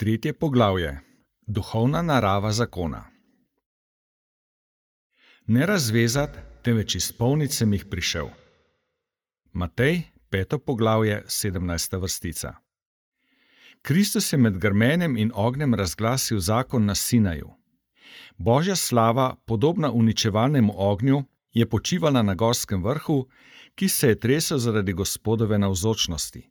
Tretje poglavje. Duhovna narava zakona. Ne razvezat, temveč izpolnit sem jih prišel. Matej, 5. poglavje, 17. vrstica. Kristus je med grmenjem in ognjem razglasil zakon na Sinaju. Božja slava, podobna uničevalnemu ognju, je počivala na gorskem vrhu, ki se je tresel zaradi Gospodove navzočnosti.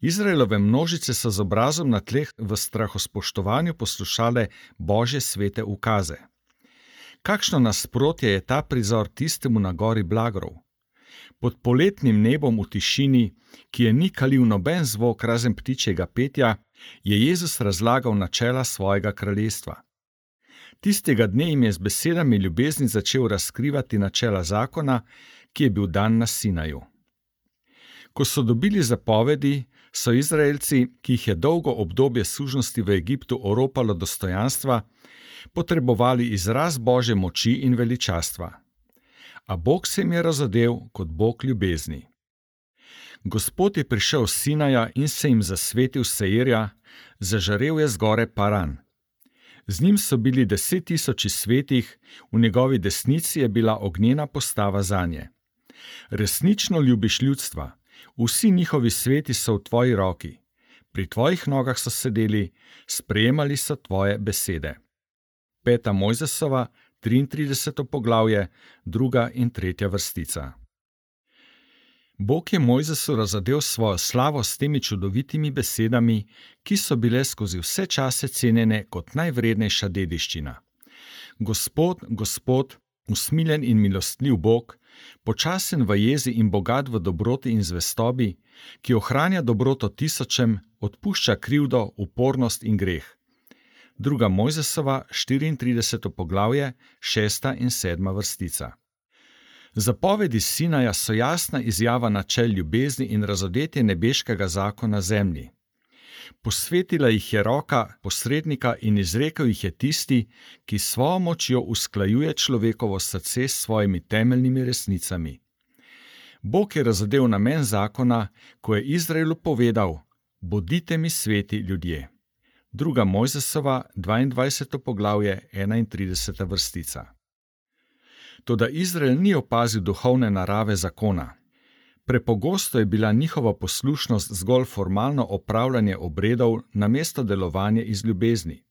Izraelove množice so z obrazom na tleh v strahospoštovanju poslušale Božje svete ukaze. Kakšno nasprotje je ta prizor tistemu na gori Blagrov? Pod poletnim nebom v tišini, ki je ni kalil noben zvok razen ptičjega petja, je Jezus razlagal načela svojega kraljestva. Tistega dne jim je z besedami ljubezni začel razkrivati načela zakona, ki je bil dan na Sinaju. Ko so dobili zapovedi, so Izraelci, ki jih je dolgo obdobje sužnosti v Egiptu oropalo dostojanstva, potrebovali izraz Božje moči in veličastva. A Bog se jim je razodel kot Bog ljubezni. Gospod je prišel s Sinaja in se jim zasvetil Seirja, zažarel je z gore Paran. Z njim so bili 10 tisoči svetih, v njegovi desnici je bila ognjena postava zanje. Resnično ljubiš ljudstva, vsi njihovi sveti so v tvoji roki. Pri tvojih nogah so sedeli, sprejemali so tvoje besede. 5. Mojzesova, 33. poglavje, 2. in 3. vrstica. Bog je Mojzesu razodel svojo slavo s temi čudovitimi besedami, ki so bile skozi vse čase cenjene kot najvrednejša dediščina. Gospod, Gospod, usmiljen in milostljiv Bog, počasen v jezi in bogat v dobroti in zvestobi, ki ohranja dobroto tisočem, odpušča krivdo, upornost in greh. 2. Mojzesova, 34. poglavje, 6. in 7. vrstica. Zapovedi Sinaja so jasna izjava načel ljubezni in razodetje nebeškega zakona zemlji. Posvetila jih je roka posrednika in izrekel jih je tisti, ki s svojo močjo usklajuje človekovo srce s svojimi temeljnimi resnicami. Bog je razodel namen zakona, ko je Izraelu povedal: bodite mi sveti ljudje. 2. Mojzesova, 22. poglavje, 31. vrstica. Toda Izrael ni opazil duhovne narave zakona. Prepogosto je bila njihova poslušnost zgolj formalno opravljanje obredov namesto delovanje iz ljubezni.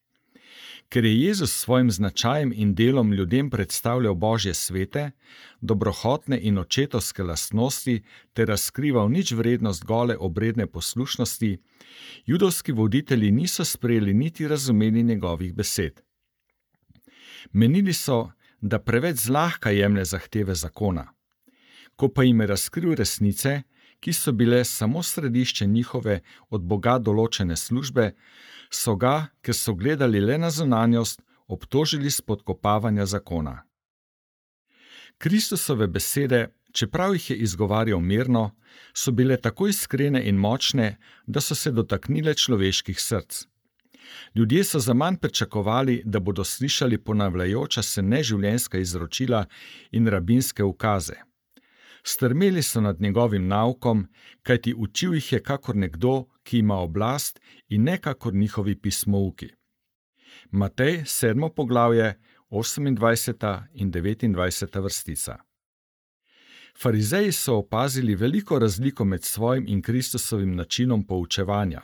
Ker je Jezus s svojim značajem in delom ljudem predstavljal Božje svete, dobrohotne in očetovske lastnosti ter razkrival ničvrednost gole obredne poslušnosti, judovski voditelji niso sprejeli niti razumeli njegovih besed. Menili so, da preveč zlahka jemlje zahteve zakona. Ko pa jim je razkril resnice, ki so bile samo središče njihove od Boga določene službe, so ga, ker so gledali le na zunanjost, obtožili spodkopavanja zakona. Kristusove besede, čeprav jih je izgovarjal mirno, so bile tako iskrene in močne, da so se dotaknile človeških src. Ljudje so zaman pričakovali, da bodo slišali ponavljajoča se neživljenjska izročila in rabinske ukaze. Strmeli so nad njegovim naukom, kajti učil jih je kakor nekdo, ki ima oblast, in ne kakor njihovi pismouki. Matej, 7. poglavje, 28. in 29. vrstica. Farizeji so opazili veliko razliko med svojim in Kristusovim načinom poučevanja.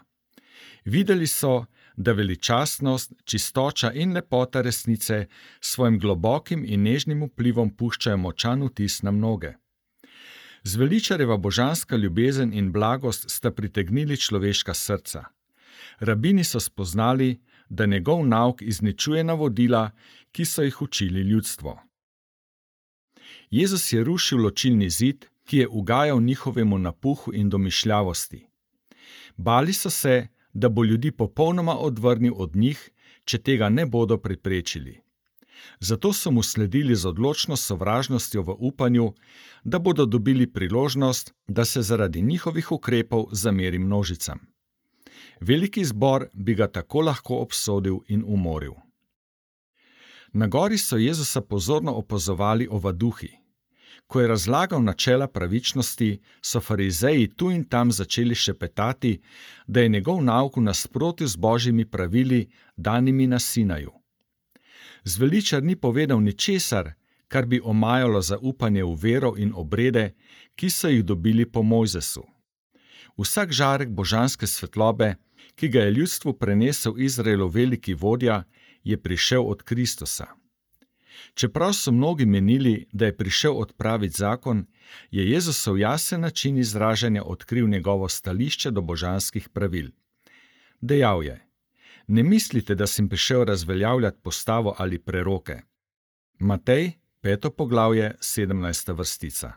Videli so, da veličastnost, čistoča in lepota resnice svojim globokim in nežnim vplivom puščajo močan vtis na mnoge. Zveličarjeva božanska ljubezen in blagost sta pritegnili človeška srca. Rabini so spoznali, da njegov nauk izničuje navodila, ki so jih učili ljudstvo. Jezus je rušil ločilni zid, ki je ugajal njihovemu napuhu in domišljavosti. Bali so se, da bo ljudi popolnoma odvrnil od njih, če tega ne bodo preprečili. Zato so mu sledili z odločno sovražnostjo v upanju, da bodo dobili priložnost, da se zaradi njihovih ukrepov zameri množicam. Veliki zbor bi ga tako lahko obsodil in umoril. Na gori so Jezusa pozorno opazovali ovaduhi. Ko je razlagal načela pravičnosti, so farizeji tu in tam začeli šepetati, da je njegov nauk v nasprotju z božjimi pravili, danimi na Sinaju. Zveličar ni povedal ničesar, kar bi omajalo zaupanje v vero in obrede, ki so jih dobili po Mojzesu. Vsak žarek božanske svetlobe, ki ga je ljudstvu prenesel Izraelov veliki vodja, je prišel od Kristusa. Čeprav so mnogi menili, da je prišel odpraviti zakon, je Jezusov jasen način izražanja odkril njegovo stališče do božanskih pravil. Dejal je: Ne mislite, da sem prišel razveljavljati postavo ali preroke. Matej, 5. poglavje, 17. vrstica.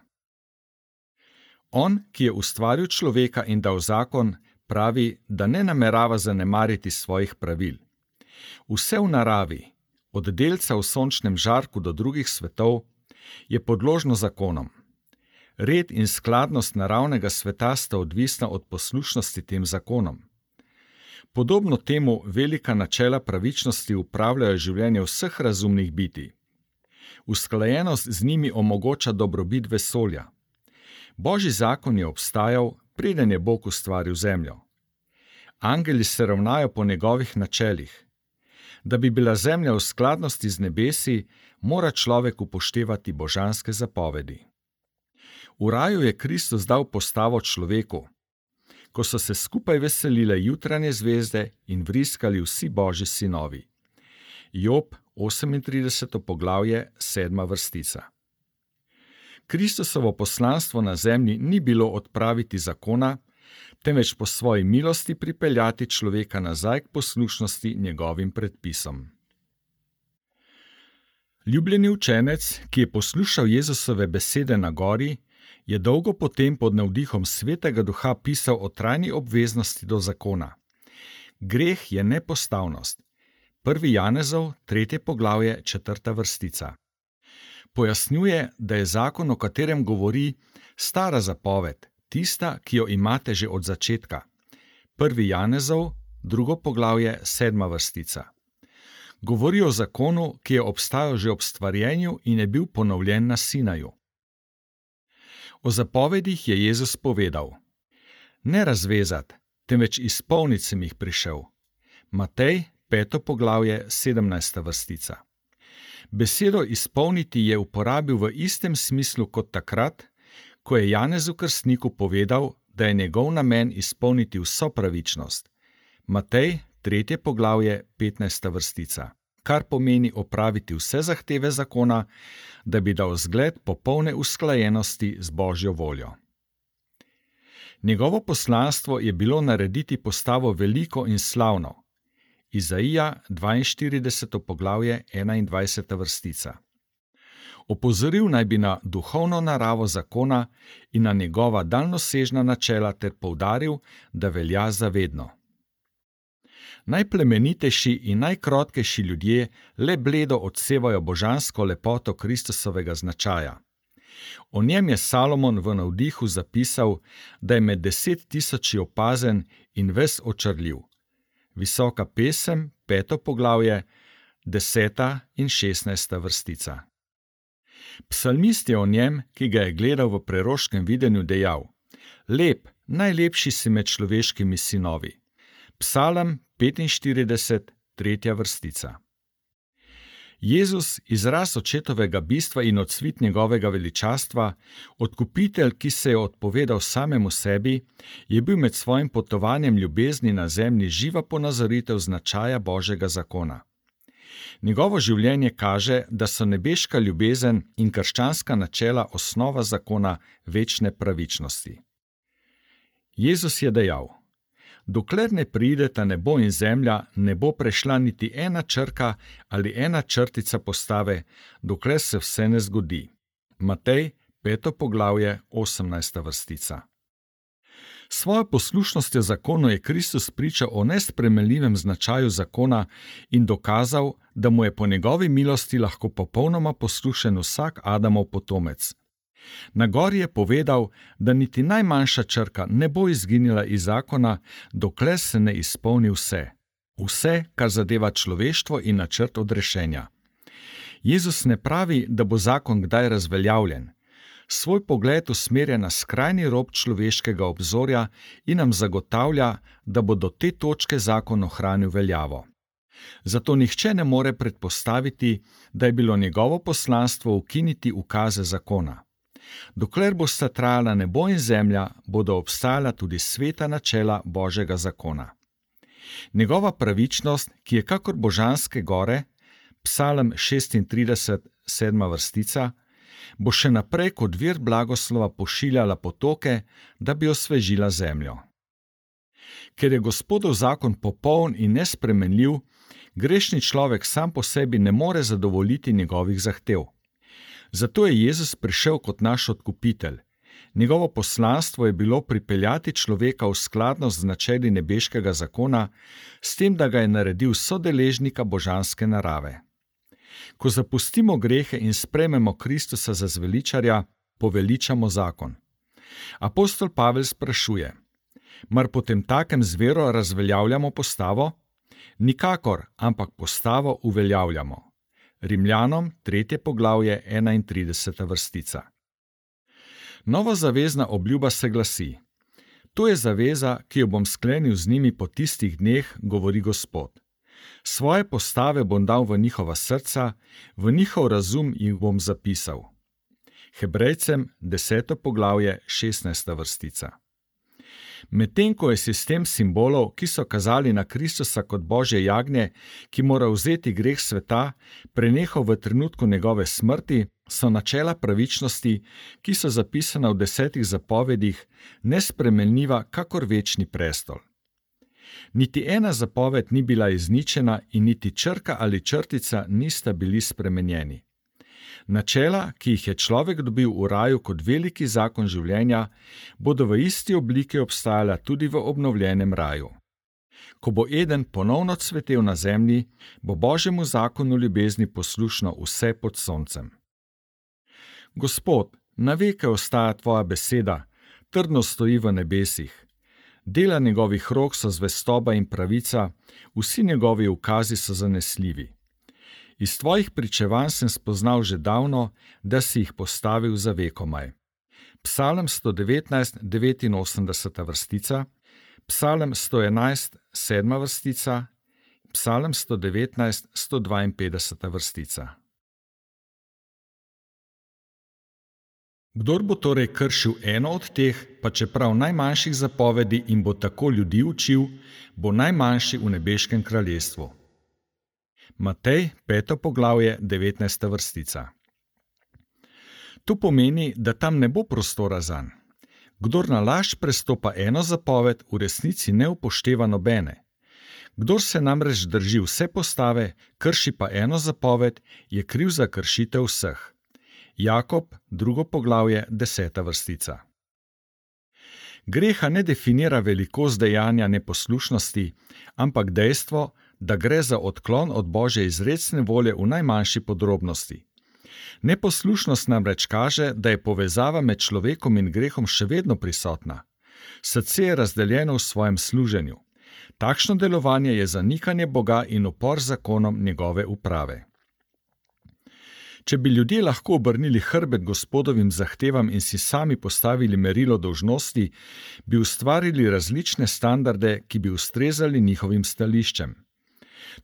On, ki je ustvaril človeka in dal zakon, pravi, da ne namerava zanemariti svojih pravil. Vse v naravi, od delca v sončnem žarku do drugih svetov, je podložno zakonom. Red in skladnost naravnega sveta sta odvisna od poslušnosti tem zakonom. Podobno temu velika načela pravičnosti upravljajo življenje vseh razumnih bitij. Usklajenost z njimi omogoča dobrobit vesolja. Božji zakon je obstajal, preden je Bog ustvaril zemljo. Angeli se ravnajo po njegovih načelih. Da bi bila zemlja v skladnosti z nebesi, mora človek upoštevati božanske zapovedi. V raju je Kristus dal postavo človeku, ko so se skupaj veselile jutranje zvezde in vriskali vsi božji sinovi. Job, 38. poglavje, 7. vrstica. Kristusovo poslanstvo na zemlji ni bilo odpraviti zakona, temveč po svoji milosti pripeljati človeka nazaj k poslušnosti njegovim predpisom. Ljubljeni učenec, ki je poslušal Jezusove besede na gori, je dolgo potem pod navdihom Svetega Duha pisal o trajni obveznosti do zakona. Greh je nepostavnost. 1. Janezov, 3. poglavje, 4. vrstica. Pojasnjuje, da je zakon, o katerem govori, stara zapoved, tista, ki jo imate že od začetka. 1. Janezov, 2. poglavje, 7. vrstica. Govori o zakonu, ki je obstajal že ob stvarjenju in je bil ponovljen na Sinaju. O zapovedih je Jezus povedal: Ne razvezat, temveč izpolnit sem jih prišel. Matej, 5. poglavje, 17. vrstica. Besedo izpolniti je uporabil v istem smislu kot takrat, ko je Janezu Krstniku povedal, da je njegov namen izpolniti vso pravičnost. Matej, 3. poglavje, 15. vrstica, kar pomeni opraviti vse zahteve zakona, da bi dal zgled popolne usklajenosti z Božjo voljo. Njegovo poslanstvo je bilo narediti postavo veliko in slavno. Izaija, 42. poglavje, 21. vrstica. Opozoril naj bi na duhovno naravo zakona in na njegova daljnosežna načela ter poudaril, da velja za vedno. Najplemenitejši in najkrotkejši ljudje le bledo odsevajo božansko lepoto Kristusovega značaja. O njem je Salomon v navdihu zapisal, da je med 10.000 opazen in ves očarljiv. Visoka pesem, 5. poglavje, 10. in 16. vrstica. Psalmist je o njem, ki ga je gledal v preroškem videnju, dejal: Lep, najlepši si med človeškimi sinovi. Psalm 45, 3. vrstica. Jezus, izraz očetovega bistva in odsvit njegovega veličastva, odkupitelj, ki se je odpovedal samemu sebi, je bil med svojim potovanjem ljubezni na zemlji živa ponazoritev značaja Božjega zakona. Njegovo življenje kaže, da so nebeška ljubezen in krščanska načela osnova zakona večne pravičnosti. Jezus je dejal: Dokler ne prideta nebo in zemlja, ne bo prešla niti ena črka ali ena črtica postave, dokler se vse ne zgodi. Matej, 5. poglavje, 18. vrstica. Svojo poslušnostjo zakonu je Kristus pričal o nespremenljivem značaju zakona in dokazal, da mu je po njegovi milosti lahko popolnoma poslušen vsak Adamov potomec. Na gori je povedal, da niti najmanjša črka ne bo izginila iz zakona, dokler se ne izpolni vse. Vse, kar zadeva človeštvo in načrt odrešenja. Jezus ne pravi, da bo zakon kdaj razveljavljen. Svoj pogled usmerja na skrajni rob človeškega obzorja in nam zagotavlja, da bo do te točke zakon ohranil veljavo. Zato nihče ne more predpostaviti, da je bilo njegovo poslanstvo ukiniti ukaze zakona. Dokler bosta trajala nebo in zemlja, bodo obstajala tudi sveta načela Božjega zakona. Njegova pravičnost, ki je kakor božanske gore, Psalm 36, 7. vrstica, bo še naprej kot vir blagoslova pošiljala potoke, da bi osvežila zemljo. Ker je Gospodov zakon popoln in nespremenljiv, grešni človek sam po sebi ne more zadovoljiti njegovih zahtev. Zato je Jezus prišel kot naš odkupitelj. Njegovo poslanstvo je bilo pripeljati človeka v skladnost z načeli nebeškega zakona, s tem, da ga je naredil sodeležnika božanske narave. Ko zapustimo grehe in sprejmemo Kristusa za zveličarja, poveličamo zakon. Apostol Pavel sprašuje: mar potemtakem z vero razveljavljamo postavo? Nikakor, ampak postavo uveljavljamo. Rimljanom 3. poglavje 31. vrstica. Novozavezna obljuba se glasi: to je zaveza, ki jo bom sklenil z njimi po tistih dneh, govori Gospod. Svoje postave bom dal v njihova srca, v njihov razum jih bom zapisal. Hebrejcem 10. poglavje 16. vrstica. Medtem ko je sistem simbolov, ki so kazali na Kristusa kot Božje jagnje, ki mora vzeti greh sveta, prenehal v trenutku njegove smrti, so načela pravičnosti, ki so zapisana v 10 zapovedih, nespremenljiva kakor večni prestol. Niti ena zapoved ni bila izničena in niti črka ali črtica nista bili spremenjeni. Načela, ki jih je človek dobil v raju kot veliki zakon življenja, bodo v isti obliki obstajala tudi v obnovljenem raju. Ko bo Eden ponovno cvetel na zemlji, bo Božjemu zakonu ljubezni poslušno vse pod soncem. Gospod, na veke ostaja tvoja beseda, trdno stoji v nebesih. Dela njegovih rok so zvestoba in pravica, vsi njegovi ukazi so zanesljivi. Iz tvojih pričevanj sem spoznal že davno, da si jih postavil za vekomaj. Psalm 119, 89. vrstica, Psalm 111, 7. vrstica, Psalm 119, 152. vrstica. Kdor bo torej kršil eno od teh, pa čeprav najmanjših zapovedi in bo tako ljudi učil, bo najmanjši v nebeškem kraljestvu. Matej, 5. poglavje, 19. vrstica. To pomeni, da tam ne bo prostora zanj. Kdor na laž prestopa eno zapoved, v resnici ne upošteva nobene. Kdor se namreč drži vse postave, krši pa eno zapoved, je kriv za kršitev vseh. Jakob, 2. poglavje, 10. vrstica. Greha ne definira velikost dejanja neposlušnosti, ampak dejstvo, da gre za odklon od Božje izrecne volje v najmanjši podrobnosti. Neposlušnost namreč kaže, da je povezava med človekom in grehom še vedno prisotna. Srce je razdeljeno v svojem služenju. Takšno delovanje je zanikanje Boga in upor zakonom njegove uprave. Če bi ljudje lahko obrnili hrbet Gospodovim zahtevam in si sami postavili merilo dolžnosti, bi ustvarili različne standarde, ki bi ustrezali njihovim stališčem.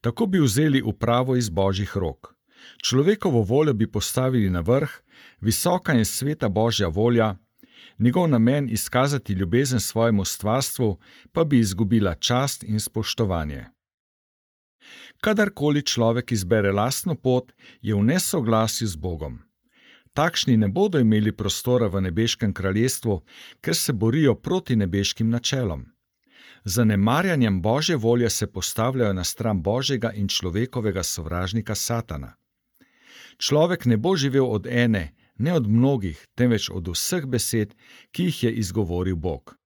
Tako bi vzeli upravo iz Božjih rok. Človekovo voljo bi postavili na vrh, visoka in sveta Božja volja, njegov namen izkazati ljubezen svojemu stvarstvu pa bi izgubila čast in spoštovanje. Kadarkoli človek izbere lastno pot, je v nesoglasju z Bogom. Takšni ne bodo imeli prostora v nebeškem kraljestvu, ker se borijo proti nebeškim načelom. Z zanemarjanjem Božje volje se postavljajo na stran Božjega in človekovega sovražnika Satana. Človek ne bo živel od ene, ne od mnogih, temveč od vseh besed, ki jih je izgovoril Bog.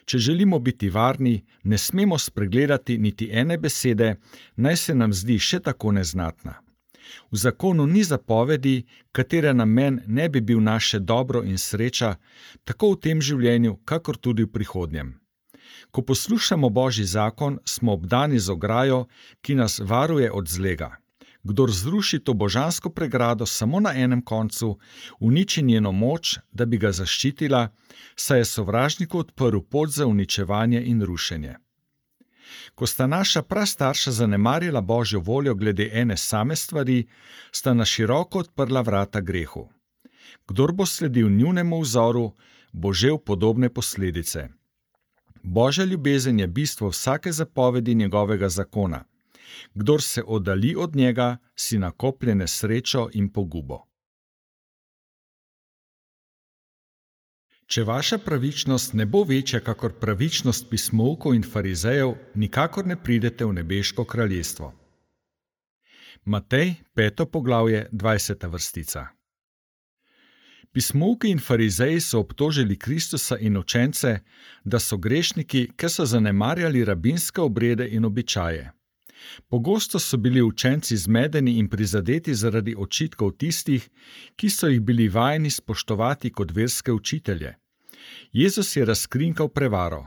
Če želimo biti varni, ne smemo spregledati niti ene besede, naj se nam zdi še tako neznatna. V zakonu ni zapovedi, katere namen ne bi bil naše dobro in sreča, tako v tem življenju, kakor tudi v prihodnjem. Ko poslušamo Božji zakon, smo obdani z ograjo, ki nas varuje od zlega. Kdor zruši to božansko pregrado samo na enem koncu, uniči njeno moč, da bi ga zaščitila, saj je sovražniku odprl pot za uničevanje in rušenje. Ko sta naša prastarša zanemarila Božjo voljo glede ene same stvari, sta na široko odprla vrata grehu. Kdor bo sledil njunemu vzoru, bo žel podobne posledice. Božja ljubezen je bistvo vsake zapovedi njegovega zakona. Kdor se oddalji od njega, si nakoplje nesrečo in pogubo. Če vaša pravičnost ne bo večja kakor pravičnost pismoukov in farizejev, nikakor ne pridete v nebeško kraljestvo. Matej, 5. poglavje, 20. vrstica. Pismouki in farizeji so obtožili Kristusa in učence, da so grešniki, ker so zanemarjali rabinske obrede in običaje. Pogosto so bili učenci zmedeni in prizadeti zaradi očitkov tistih, ki so jih bili vajeni spoštovati kot verske učitelje. Jezus je razkrinkal prevaro.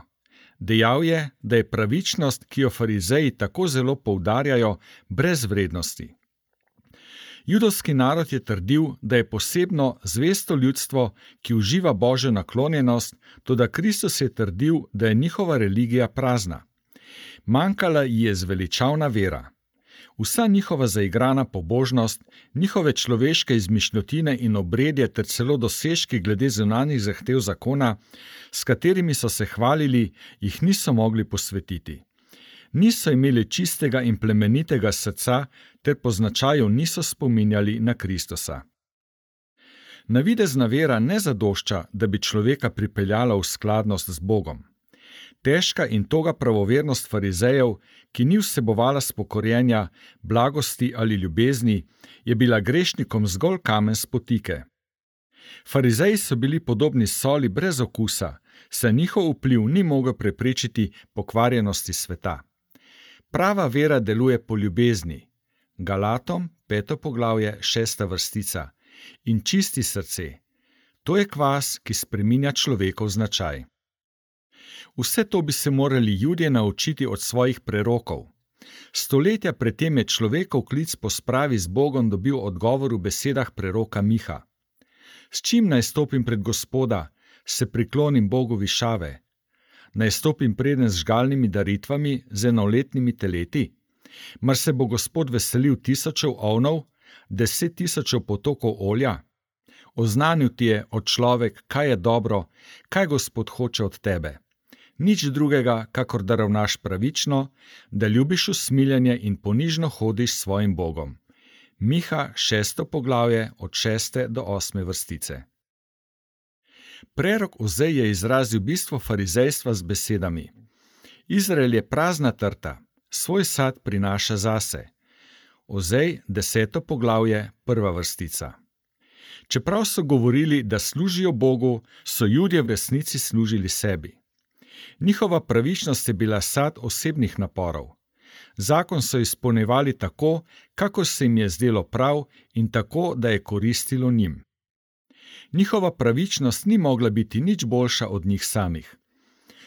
Dejal je, da je pravičnost, ki jo farizeji tako zelo poudarjajo, brez vrednosti. Judovski narod je trdil, da je posebno zvesto ljudstvo, ki uživa Božjo naklonjenost, toda Kristus je trdil, da je njihova religija prazna. Manjkala ji je zveličavna vera. Vsa njihova zaigrana pobožnost, njihove človeške izmišljotine in obredje ter celo dosežki glede zunanjih zahtev zakona, s katerimi so se hvalili, jih niso mogli posvetiti. Niso imeli čistega in plemenitega srca ter po značaju niso spominjali na Kristusa. Navidezna vera ne zadošča, da bi človeka pripeljala v skladnost z Bogom. Težka in toga pravovernost farizejev, ki ni vsebovala spokorjenja, blagosti ali ljubezni, je bila grešnikom zgolj kamen spotike. Farizeji so bili podobni soli brez okusa, saj njihov vpliv ni mogel preprečiti pokvarjenosti sveta. Prava vera deluje po ljubezni, Galatom, 5. poglavje, 6. vrstica, in čisti srce. To je kvas, ki spreminja človekov značaj. Vse to bi se morali Judje naučiti od svojih prerokov. Stoletja pred tem je človekov klic po spravi z Bogom dobil odgovor v besedah preroka Miha. S čim naj stopim pred Gospoda, se priklonim Bogu višave? Naj stopim preden z žgalnimi daritvami, z enoletnimi teleti? Mar se bo Gospod veselil 1000 ovnov, 10.000 potokov olja? Oznanil ti je, o človek, kaj je dobro, kaj Gospod hoče od tebe. Nič drugega, kakor da ravnaš pravično, da ljubiš usmiljenje in ponižno hodiš s svojim Bogom. Miha, 6. poglavje, od 6. do 8. vrstice. Prerok Ozej je izrazil bistvo farizejstva z besedami: Izrael je prazna trta, svoj sad prinaša zase. Ozej, 10. poglavje, 1. vrstica. Čeprav so govorili, da služijo Bogu, so Judje v resnici služili sebi. Njihova pravičnost je bila sad osebnih naporov. Zakon so izpolnjevali tako, kako se jim je zdelo prav in tako, da je koristilo njim. Njihova pravičnost ni mogla biti nič boljša od njih samih.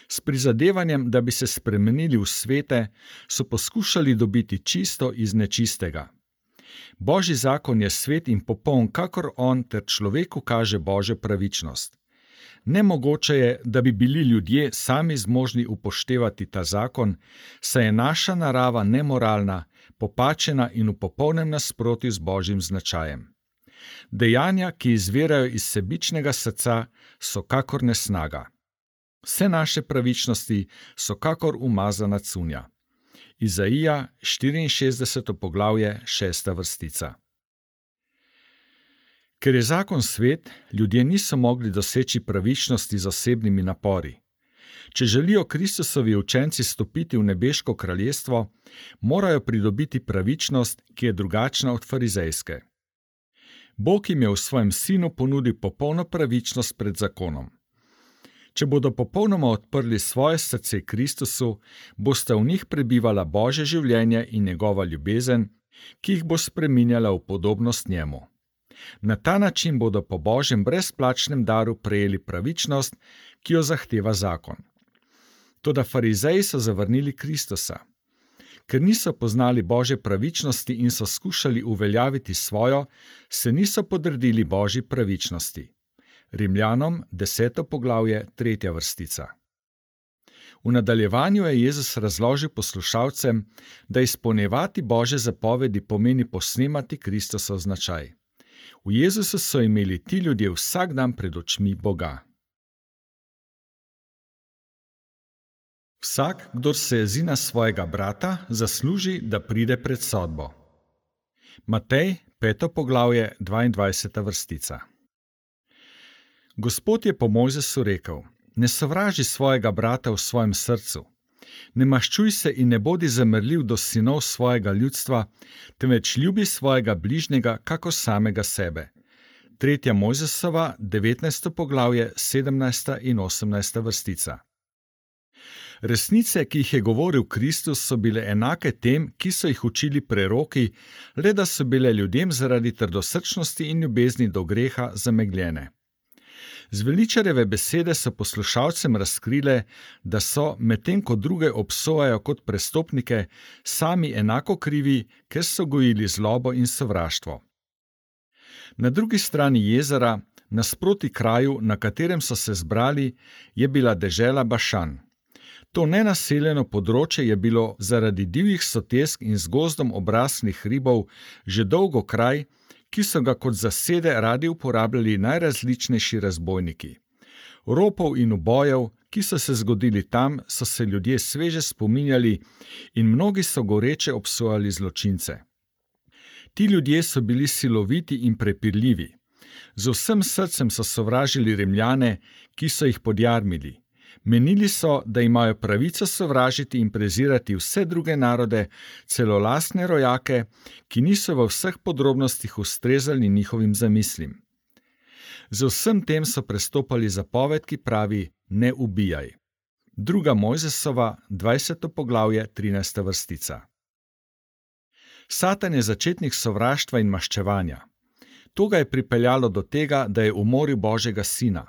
S prizadevanjem, da bi se spremenili v svete, so poskušali dobiti čisto iz nečistega. Božji zakon je svet in popoln, kakor on, ter človeku kaže Božjo pravičnost. Nemogoče je, da bi bili ljudje sami zmožni upoštevati ta zakon, saj je naša narava nemoralna, popačena in v popolnem nasprotju z Božjim značajem. Dejanja, ki izvirajo iz sebičnega srca, so kakor nesnaga. Vse naše pravičnosti so kakor umazana cunja. Izaija, 64. poglavje, 6. vrstica. Ker je zakon svet, ljudje niso mogli doseči pravičnosti z osebnimi napori. Če želijo Kristusovi učenci stopiti v nebeško kraljestvo, morajo pridobiti pravičnost, ki je drugačna od farizejske. Bog jim je v svojem sinu ponudil popolno pravičnost pred zakonom. Če bodo popolnoma odprli svoje srce Kristusu, bosta v njih prebivala Božje življenje in njegova ljubezen, ki jih bo spreminjala v podobnost njemu. Na ta način bodo po Božjem brezplačnem daru prejeli pravičnost, ki jo zahteva zakon. Toda farizeji so zavrnili Kristusa. Ker niso poznali Božje pravičnosti in so skušali uveljaviti svojo, se niso podredili Božji pravičnosti. Rimljanom 10. poglavje 3. vrstica. V nadaljevanju je Jezus razložil poslušalcem, da izpolnjevati Božje zapovedi pomeni posnemati Kristusov značaj. V Jezusu so imeli ti ljudje vsak dan pred očmi Boga. Vsak, kdor se jezi na svojega brata, zasluži, da pride pred sodbo. Matej, 5. poglavje, 22. vrstica. Gospod je po Mojzesu rekel: Ne sovraži svojega brata v svojem srcu. Ne maščuj se in ne bodi zamrljiv do sinov svojega ljudstva, temveč ljubi svojega bližnjega kakor samega sebe. 3. Mojzesova, 19. poglavje, 17. in 18. vrstica. Resnice, ki jih je govoril Kristus, so bile enake tem, ki so jih učili preroki, le da so bile ljudem zaradi trdosrčnosti in ljubezni do greha zamegljene. Zveličarjeve besede so poslušalcem razkrile, da so, medtem ko druge obsojajo kot prestopnike, sami enako krivi, ker so gojili zlobo in sovraštvo. Na drugi strani jezera, nasproti kraju, na katerem so se zbrali, je bila dežela Bašan. To nenaseljeno področje je bilo zaradi divjih sotesk in z gozdom obraslih hribov že dolgo kraj, ki so ga kot zasede radi uporabljali najrazličnejši razbojniki. Ropov in ubojev, ki so se zgodili tam, so se ljudje sveže spominjali in mnogi so goreče obsojali zločince. Ti ljudje so bili siloviti in prepirljivi. Z vsem srcem so sovražili Rimljane, ki so jih podjarmili. Menili so, da imajo pravico sovražiti in prezirati vse druge narode, celo lastne rojake, ki niso v vseh podrobnostih ustrezali njihovim zamislim. Z vsem tem so prestopali zapoved, ki pravi: ne ubijaj. 2. Mojzesova, 20. poglavje, 13. vrstica. Satan je začetnik sovraštva in maščevanja. To ga je pripeljalo do tega, da je umoril Božjega sina.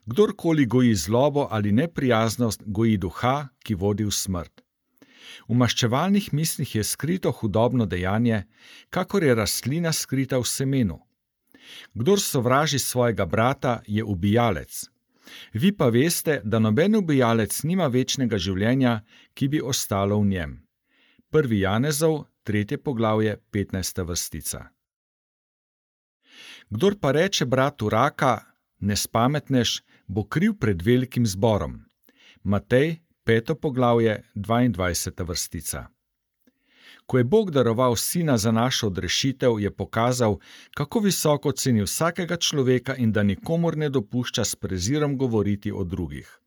Kdorkoli goji zlobo ali neprijaznost, goji duha, ki vodi v smrt. V maščevalnih mislih je skrito hudobno dejanje, kakor je rastlina skrita v semenu. Kdor sovraži svojega brata, je ubijalec. Vi pa veste, da noben ubijalec nima večnega življenja, ki bi ostalo v njem. 1. Janezov, 3. poglavje, 15. vrstica. Kdor pa reče bratu raka, ne spametneš, bo kriv pred velikim zborom. Matej, 5. poglavje, 22. vrstica. Ko je Bog daroval sina za našo odrešitev, je pokazal, kako visoko ceni vsakega človeka in da nikomur ne dopušča s prezirom govoriti o drugih.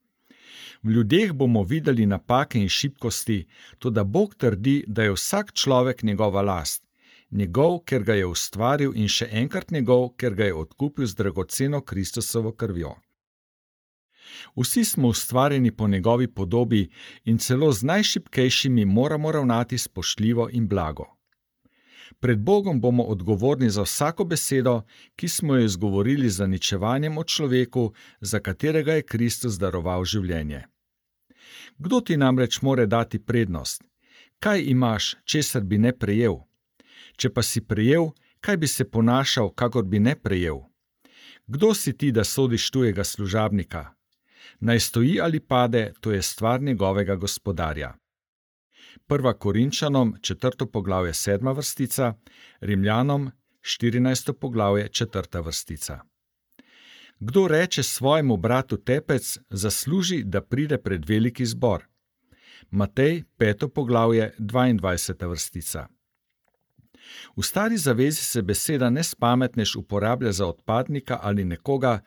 V ljudeh bomo videli napake in šibkosti, toda Bog trdi, da je vsak človek njegova last. Njegov, ker ga je ustvaril, in še enkrat njegov, ker ga je odkupil z dragoceno Kristusovo krvjo. Vsi smo ustvarjeni po njegovi podobi in celo z najšibkejšimi moramo ravnati spoštljivo in blago. Pred Bogom bomo odgovorni za vsako besedo, ki smo jo izgovorili z zaničevanjem o človeku, za katerega je Kristus daroval življenje. Kdo ti namreč more dati prednost? Kaj imaš, česar bi ne prejel? Če pa si prejel, kaj bi se ponašal, kakor bi ne prejel? Kdo si ti, da sodiš tujega služabnika? Naj stoji ali pade, to je stvar njegovega gospodarja. 1. Korinčanom, 4. poglavje, 7. vrstica, Rimljanom, 14. poglavje, 4. vrstica. Kdo reče svojemu bratu tepec, zasluži, da pride pred veliki zbor. Matej, 5. poglavje, 22. vrstica. V stari zavezi se beseda nespametnež uporablja za odpadnika ali nekoga,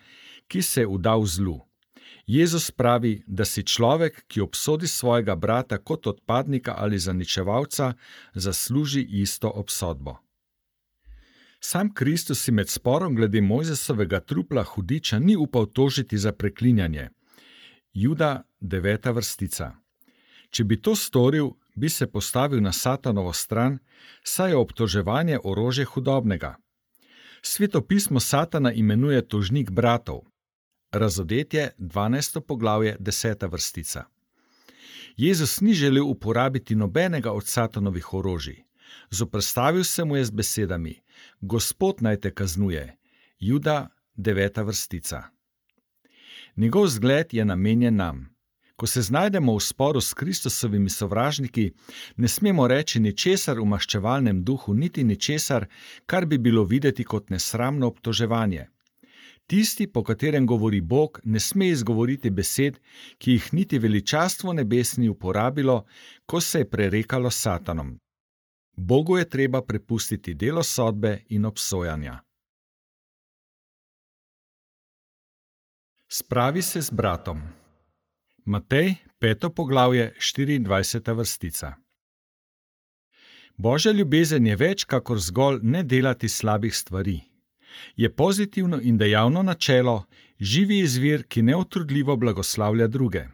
ki se je vdal zlu. Jezus pravi, da si človek, ki obsodi svojega brata kot odpadnika ali zaničevalca, zasluži isto obsodbo. Sam Kristus si med sporom glede Mojzesovega trupla hudiča ni upal tožiti za preklinjanje. Juda, 9. vrstica. Če bi to storil, bi se postavil na Satanovo stran, saj je obtoževanje orožje hudobnega. Sveto pismo Satana imenuje tožnik bratov. Razodetje, 12. poglavje, 10. vrstica. Jezus ni želel uporabiti nobenega od Satanovih orožij. Zoperstavil se mu je z besedami: Gospod naj te kaznuje. Juda, 9. vrstica. Njegov zgled je namenjen nam. Ko se znajdemo v sporu s Kristusovimi sovražniki, ne smemo reči ničesar v maščevalnem duhu, niti ničesar, kar bi bilo videti kot nesramno obtoževanje. Tisti, po katerem govori Bog, ne sme izgovoriti besed, ki jih niti veličastvo nebes ni uporabilo, ko se je prerekalo s Satanom. Bogu je treba prepustiti delo sodbe in obsojanja. Spravi se z bratom. Matej, 5. poglavje, 24. vrstica. Božja ljubezen je več kakor zgolj ne delati slabih stvari. Je pozitivno in dejavno načelo, živi izvir, ki neutrudljivo blagoslavlja druge.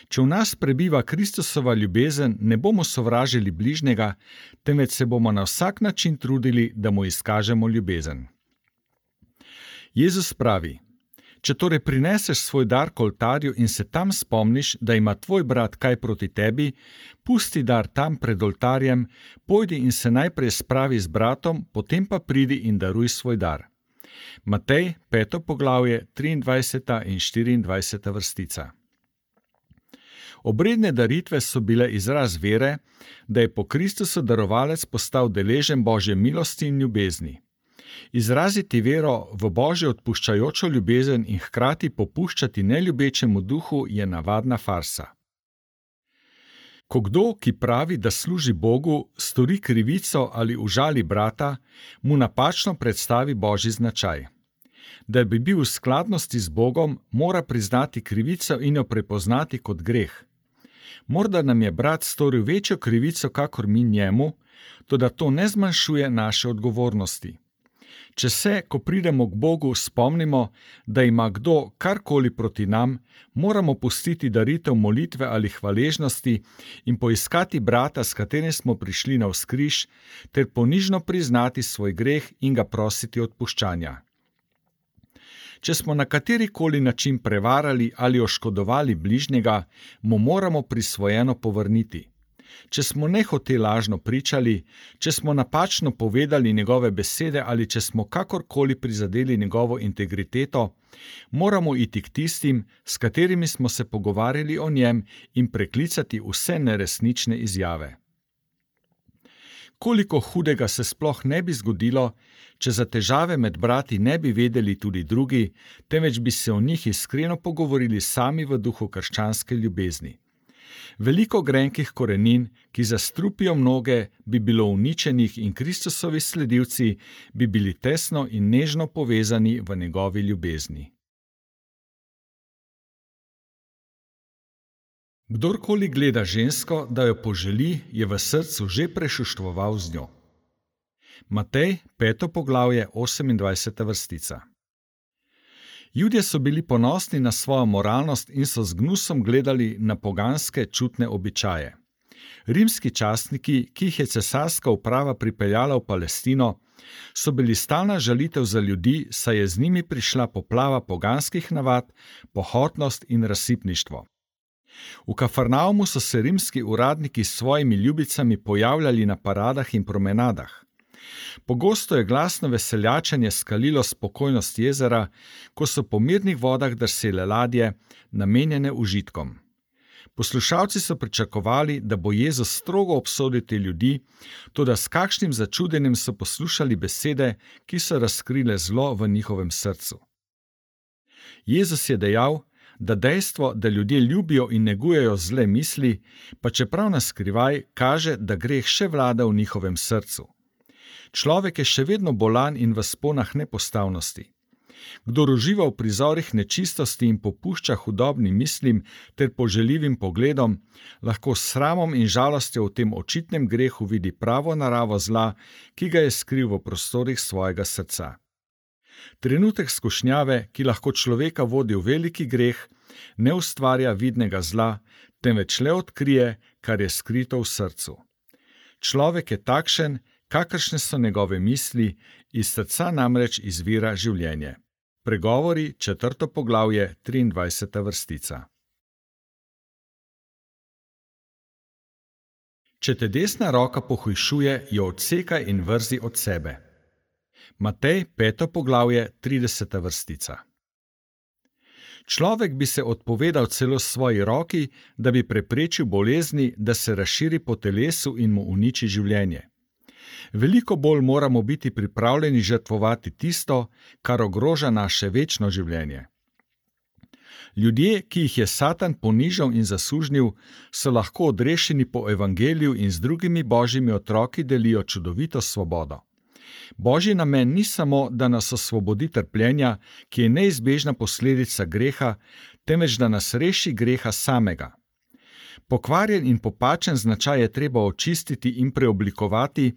Če v nas prebiva Kristusova ljubezen, ne bomo sovražili bližnjega, temveč se bomo na vsak način trudili, da mu izkažemo ljubezen. Jezus pravi: Če torej prineseš svoj dar k oltarju in se tam spomniš, da ima tvoj brat kaj proti tebi, pusti dar tam pred oltarjem, pojdi in se najprej spravi z bratom, potem pa pridi in daruj svoj dar. Matej, 5. poglavje, 23. in 24. vrstica. Obredne daritve so bile izraz vere, da je po Kristusu darovalec postal deležen Božje milosti in ljubezni. Izraziti vero v Božjo odpuščajočo ljubezen in hkrati popuščati neljubečemu duhu je navadna farsa. Ko kdo, ki pravi, da služi Bogu, stori krivico ali užali brata, mu napačno predstavi Božji značaj. Da bi bil v skladnosti z Bogom, mora priznati krivico in jo prepoznati kot greh. Morda nam je brat storil večjo krivico, kakor mi njemu, toda to ne zmanjšuje naše odgovornosti. Če se, ko pridemo k Bogu, spomnimo, da ima kdo karkoli proti nam, moramo pustiti daritev molitve ali hvaležnosti in poiskati brata, s katerim smo prišli navzkriž, ter ponižno priznati svoj greh in ga prositi odpuščanja. Če smo na katerikoli način prevarali ali oškodovali bližnjega, mu moramo prisvojeno povrniti. Če smo nehote lažno pričali, če smo napačno povedali njegove besede ali če smo kakorkoli prizadeli njegovo integriteto, moramo iti k tistim, s katerimi smo se pogovarjali o njem, in preklicati vse neresnične izjave. Koliko hudega se sploh ne bi zgodilo, če za težave med brati ne bi vedeli tudi drugi, temveč bi se o njih iskreno pogovorili sami v duhu krščanske ljubezni. Veliko grenkih korenin, ki zastrupijo mnoge, bi bilo uničenih in Kristusovi sledilci bi bili tesno in nežno povezani v njegovi ljubezni. Kdorkoli gleda žensko, da jo poželi, je v srcu že prešuštvoval z njo. Matej, 5. poglavje, 28. vrstica. Judje so bili ponosni na svojo moralnost in so z gnusom gledali na poganske čutne običaje. Rimski častniki, ki jih je cesarska uprava pripeljala v Palestino, so bili stalna žalitev za ljudi, saj je z njimi prišla poplava poganskih navad, pohotnost in razsipništvo. V Kafarnaumu so se rimski uradniki s svojimi ljubicami pojavljali na paradah in promenadah. Pogosto je glasno veseljačenje skalilo spokojnost jezera, ko so po mirnih vodah drsele ladje, namenjene užitkom. Poslušalci so pričakovali, da bo Jezus strogo obsodil te ljudi, toda s kakšnim začudenjem so poslušali besede, ki so razkrile zlo v njihovem srcu. Jezus je dejal, da dejstvo, da ljudje ljubijo in negujejo zle misli, pa čeprav na skrivaj, kaže, da greh še vlada v njihovem srcu. Človek je še vedno bolan in v sponah nepostavnosti. Kdor uživa v prizorih nečistosti in popušča hudobnim mislim ter poželjivim pogledom, lahko s sramom in žalostjo v tem očitnem grehu vidi pravo naravo zla, ki ga je skril v prostorih svojega srca. Trenutek skušnjave, ki lahko človeka vodi v veliki greh, ne ustvarja vidnega zla, temveč le odkrije, kar je skrito v srcu. Človek je takšen, kakršne so njegove misli, iz srca namreč izvira življenje. Pregovori, 4. poglavje, 23. vrstica. Če te desna roka pohujšuje, jo odsekaj in vrzi od sebe. Matej, 5. poglavje, 30. vrstica. Človek bi se odpovedal celo svoji roki, da bi preprečil bolezni, da se razširi po telesu in mu uniči življenje. Veliko bolj moramo biti pripravljeni žrtvovati tisto, kar ogroža naše večno življenje. Ljudje, ki jih je Satan ponižal in zasužnil, so lahko odrešeni po evangeliju in z drugimi božjimi otroki delijo čudovito svobodo. Božji namen ni samo, da nas osvobodi trpljenja, ki je neizbežna posledica greha, temveč da nas reši greha samega. Pokvarjen in popačen značaj je treba očistiti in preoblikovati,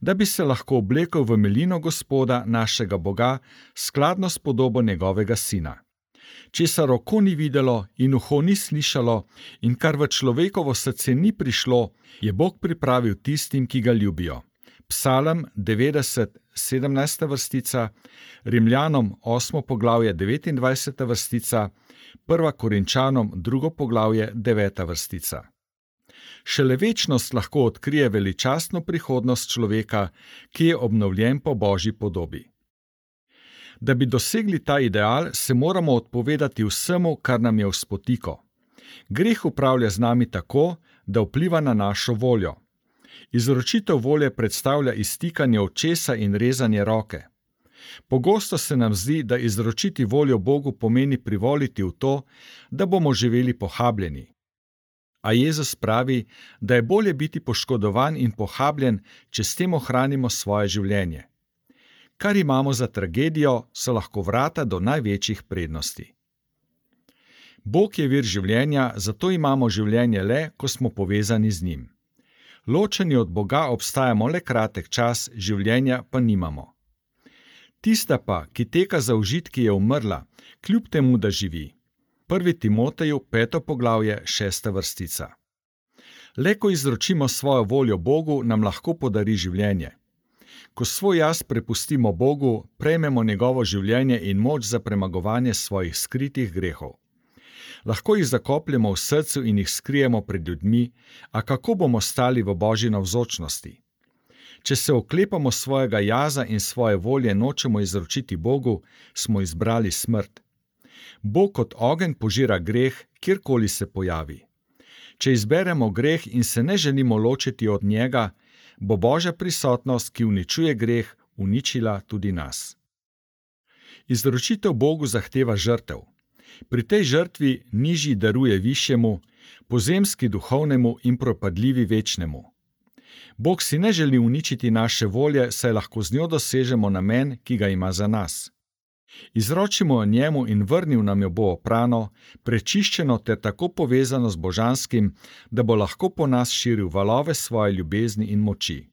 da bi se lahko oblekel v milino Gospoda, našega Boga, skladno s podobo njegovega sina. Česar oko ni videlo in uho ni slišalo in kar v človekovo srce ni prišlo, je Bog pripravil tistim, ki ga ljubijo. Psalm 90, 17. vrstica, Rimljanom 8. poglavje 29. vrstica, 1. Korinčanom 2. poglavje 9. vrstica. Šele večnost lahko odkrije veličastno prihodnost človeka, ki je obnovljen po Božji podobi. Da bi dosegli ta ideal, se moramo odpovedati vsemu, kar nam je v spotiko. Greh upravlja z nami tako, da vpliva na našo voljo. Izročitev volje predstavlja iztikanje očesa in rezanje roke. Pogosto se nam zdi, da izročiti voljo Bogu pomeni privoliti v to, da bomo živeli pohabljeni. A Jezus pravi, da je bolje biti poškodovan in pohabljen, če s tem ohranimo svoje življenje. Kar imamo za tragedijo, so lahko vrata do največjih prednosti. Bog je vir življenja, zato imamo življenje le, ko smo povezani z njim. Ločeni od Boga obstajamo le kratek čas, življenja pa nimamo. Tista pa, ki teka za užitki, je umrla, kljub temu, da živi. 1. Timoteju, 5. poglavje, 6. vrstica. Le ko izročimo svojo voljo Bogu, nam lahko podari življenje. Ko svoj jaz prepustimo Bogu, prejmemo njegovo življenje in moč za premagovanje svojih skritih grehov. Lahko jih zakopljemo v srcu in jih skrijemo pred ljudmi, a kako bomo stali v Božji navzočnosti? Če se oklepamo svojega jaza in svoje volje nočemo izročiti Bogu, smo izbrali smrt. Bog kot ogenj požira greh, kjerkoli se pojavi. Če izberemo greh in se ne želimo ločiti od njega, bo Božja prisotnost, ki uničuje greh, uničila tudi nas. Izročitev Bogu zahteva žrtev. Pri tej žrtvi nižji daruje višjemu, pozemski duhovnemu in propadljivi večnemu. Bog si ne želi uničiti naše volje, saj lahko z njo dosežemo namen, ki ga ima za nas. Izročimo jo njemu in vrnil nam jo bo oprano, prečiščeno ter tako povezano z božanskim, da bo lahko po nas širil valove svoje ljubezni in moči.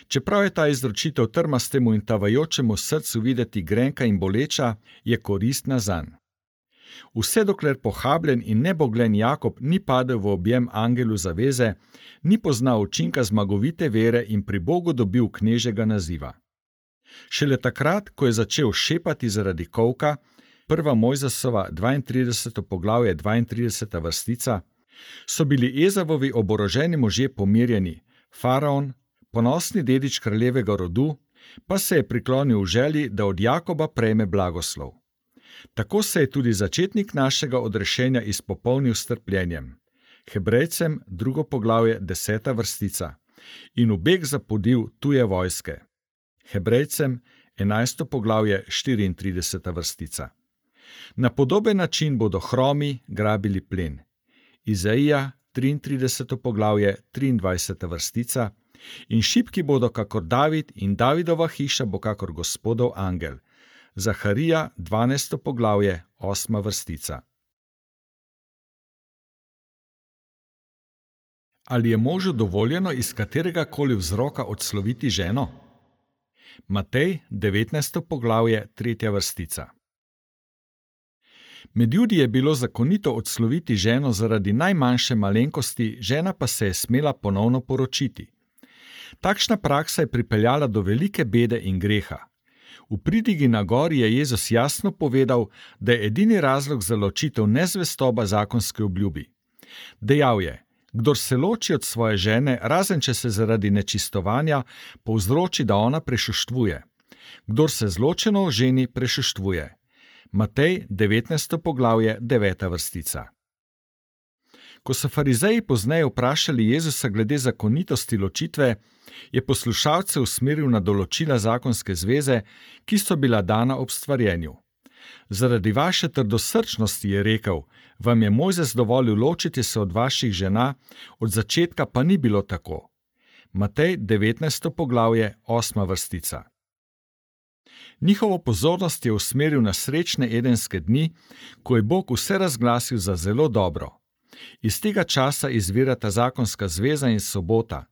Čeprav je ta izročitev trmastemu in tavajočemu srcu videti grenka in boleča, je koristna zanj. Vse dokler pohabljen in neboglen Jakob ni padel v objem angelu zaveze, ni poznal učinka zmagovite vere in pri Bogu dobil knežjega naziva. Šele takrat, ko je začel šepati zaradi kolka, 1. Mojzesova 32. poglavje 32. vrstica, so bili Ezavovi oboroženi možje pomirjeni, faraon, ponosni dedič kraljevega rodu, pa se je priklonil v želji, da od Jakoba prejme blagoslov. Tako se je tudi začetnik našega odrešenja izpopolnil s trpljenjem. Hebrejcem 2. poglavje 10. vrstica in v beg zapodil tuje vojske. Hebrejcem 11. poglavje 34. vrstica. Na podoben način bodo hromi grabili plen. Izaija 33. poglavje 23. vrstica in šibki bodo kakor David in Davidova hiša bo kakor Gospodov angel. Zaharija 12. poglavje 8. vrstica. Ali je možu dovoljeno iz katerega koli vzroka odsloviti ženo? Matej 19. poglavje 3. vrstica. Med Judi je bilo zakonito odsloviti ženo zaradi najmanjše malenkosti, žena pa se je smela ponovno poročiti. Takšna praksa je pripeljala do velike bede in greha. V pridigi na gori je Jezus jasno povedal, da je edini razlog za ločitev nezvestoba zakonske obljubi. Dejal je: Kdor se loči od svoje žene, razen če se zaradi nečistovanja povzroči, da ona prešuštvuje. Kdor se zločeno oženi, prešuštvuje. Matej, 19. poglavje, 9. vrstica. Ko so farizeji pozneje vprašali Jezusa glede zakonitosti ločitve, je poslušalce usmeril na določila zakonske zveze, ki so bila dana ob stvarjenju. Zaradi vaše trdosrčnosti, je rekel, vam je Mojzes dovolil ločiti se od vaših žena, od začetka pa ni bilo tako. Matej, 19. poglavje, 8. vrstica. Njihovo pozornost je usmeril na srečne edenske dni, ko je Bog vse razglasil za zelo dobro. Iz tega časa izvirata zakonska zveza in sobota,